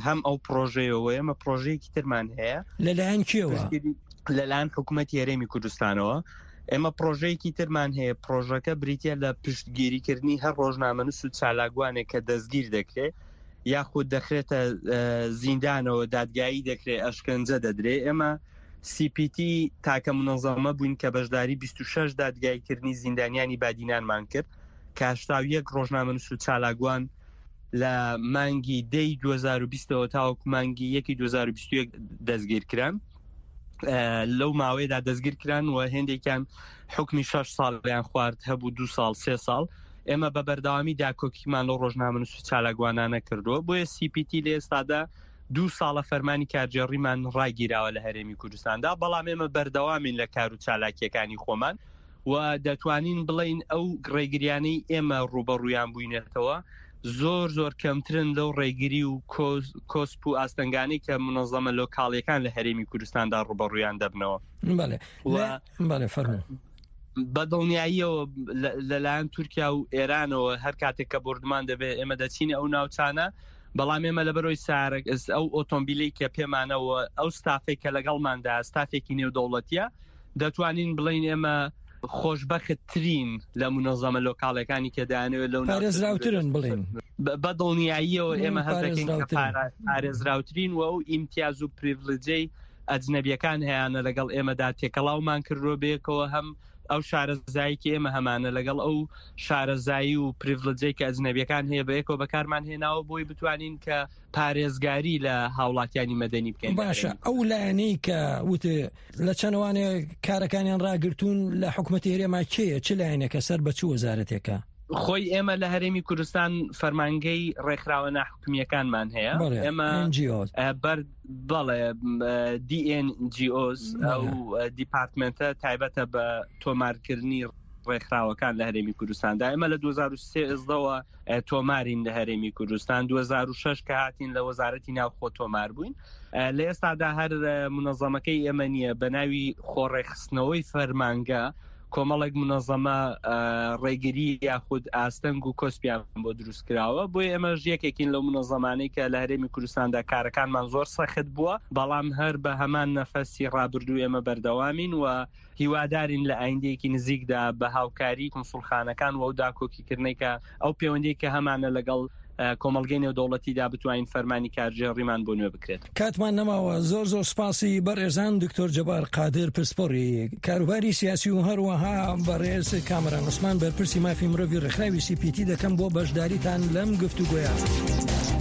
هەم ئەو پرۆژەیەوە. ئێمە پرۆژەیەکی ترمان هەیە لەلایەن کێوە؟ لەلایەن حکوومەتی هەرێمی کوردستانەوە. ئێمە پرۆژەیەکی ترمان هەیە، پرۆژەکە بریتە لە پشتگیریکردنی هەر ڕۆژنامەنووس و چالاکوانێک کە دەستگیر دەکرێت یاخود دەخرێتە زیندانەوە، دادگایی دەکرێت، ئەشکەنجە دەدرێت. ئێمە سی پی تی تاکە منەظەمە بووین کە بەشداری بیست و شەش دادگاییکردنی زیندانیانی بادینانمان کرد کە هەشتا و یەک ڕۆژنامەنووس و چالاکوان لە مانگی دەی دوو هەزار و بیستەوە تاوەکو مانگی یەکی دوو هەزار و بیست و یەک دەستگیر کران. لەو ماوەیەدا دەستگیر کران و هێندێکیان حکمی شەش ساڵیان خوارد، هەبوو دوو ساڵ سێ ساڵ. ئێمە بە بەردەوامی داکۆکیمان لەو ڕۆژنامەنووس و چالاکوانانە کردووە. بۆیە سی پی تی لە ئێستادا دوو ساڵە فەرمانی کارگێڕیمان ڕاگیراوە لە هەرێمی کوردستاندا، بەڵام ئێمە بەردەوامین لە کار و چالاکیەکانی خۆمان و دەتوانین بڵین ئەو ڕێگریانەی ئێمە ڕووبەڕوویان بووینەتەوە زۆر زۆر کەمترن لەو ڕێگری و کۆسپ و ئاستەنگانەی کە منەظەمە لۆکاڵیەکان لە هەرێمی کوردستاندا ڕووبەڕوویان دەبنەوە. بەڵێ فەرموو. بە دڵنیاییەوە لەلایەن تورکیا و ئێرانەوە هەر کاتێک کە بردمان دەبێت ئێمە دەچینە ئەو ناوچانە بەڵام ئێمە لەبەرەوەی سارەک ئەو ئۆتۆمبیلەی کە پێمانەوە ئەو ستافێک کە لەگەڵماندا ستافێکی نێودەوڵەتیە دەتوانین بڵین ئێمە خۆشبەختترین لە مونەزەمە لۆکاڵەکانی کە دایانەوێت لەو پارێزراوترن بڵێن بە دڵنیاییەوە ئێمە هەست دەکەین کە پارێزراوترین و ئەو ئیمتیاز و پریڤلجەی ئەجنەبیەکان هەیانە لەگەڵ ئێمەدا تێکەڵاومان کردووە بەیەکەوە، هەم ئەو شارەزایی کە ئێمە هەمانە لەگەڵ ئەو شارەزایی و پریڤلجەی کە ئەجنەبیەکان هەیە بەیەکەوە بەکارمان هێناوە بۆی بتوانین کە پارێزگاری لە هاوڵاتیانی مەدەنی بکەین. باشە ئەو لایەنەی کە وتێ لە چەنەوانێ کارەکانیان ڕاگرتوون لە حکوومەتی هەرێما کێیە؟ چ لایەنێکە سەر بە چ وەزارەتێکە؟ خۆی ئێمە لە هەرێمی کوردستان فەرمانگەی ڕێکخراوە ناحکومیەکانمان هەیە. ئێمە بەر بەڵێ D N G Os ئەو دیپارتمنتە تایبەتە بە تۆمارکردنی ڕێکخراوەکان لە هەرێمی کوردستاندا. ئێمە لە دوو هەزار و سێزدەوە تۆمارین لە هەرێمی کوردستان، دوو هەزار و شەش کە هاتین لە وەزارەتی ناوخۆ تۆمار بووین. لە ئێستادا هەر منەظەمەکەی ئێمە نییە بە ناوی خۆڕێکخستنەوەی فەرمانگە کۆمەڵێک منەظەمە ڕێگری یاخود ئاستەنگ و کۆسپیان بۆ دروست کراوە. بۆیە ئێمەش یەکێکین لەو منەظەمانەی کە لە هەرێمی کوردستاندا کارەکانمان زۆر سەخت بووە، بەڵام هەر بە هەمان نەفەسی ڕابردوو ئێمە بەردەوامین و هیوادارین لە ئایندەیەکی نزیکدا بە هاوکاری کنسوڵخانەکان و ئەو داکۆکیکردنەی کە ئەو پەیوەندی کە هەمانە لەگەڵ کۆمەڵگەی نێودەوڵەتیدا بتوانین فەرمانی کارگێڕیمان بۆ نوێ بکرێت. کاتمان نەماوە. زۆر زۆر سپاسی بەڕێزان دکتۆر جەبار قادر پسپۆڕی کاروباری سیاسی و هەروەها بەڕێز کامەران عوسمان بەرپرسی مافی مرۆڤی ڕێکخراوی سی پی تی دەکەم بۆ بەشداریتان لەم گفتوگۆیە.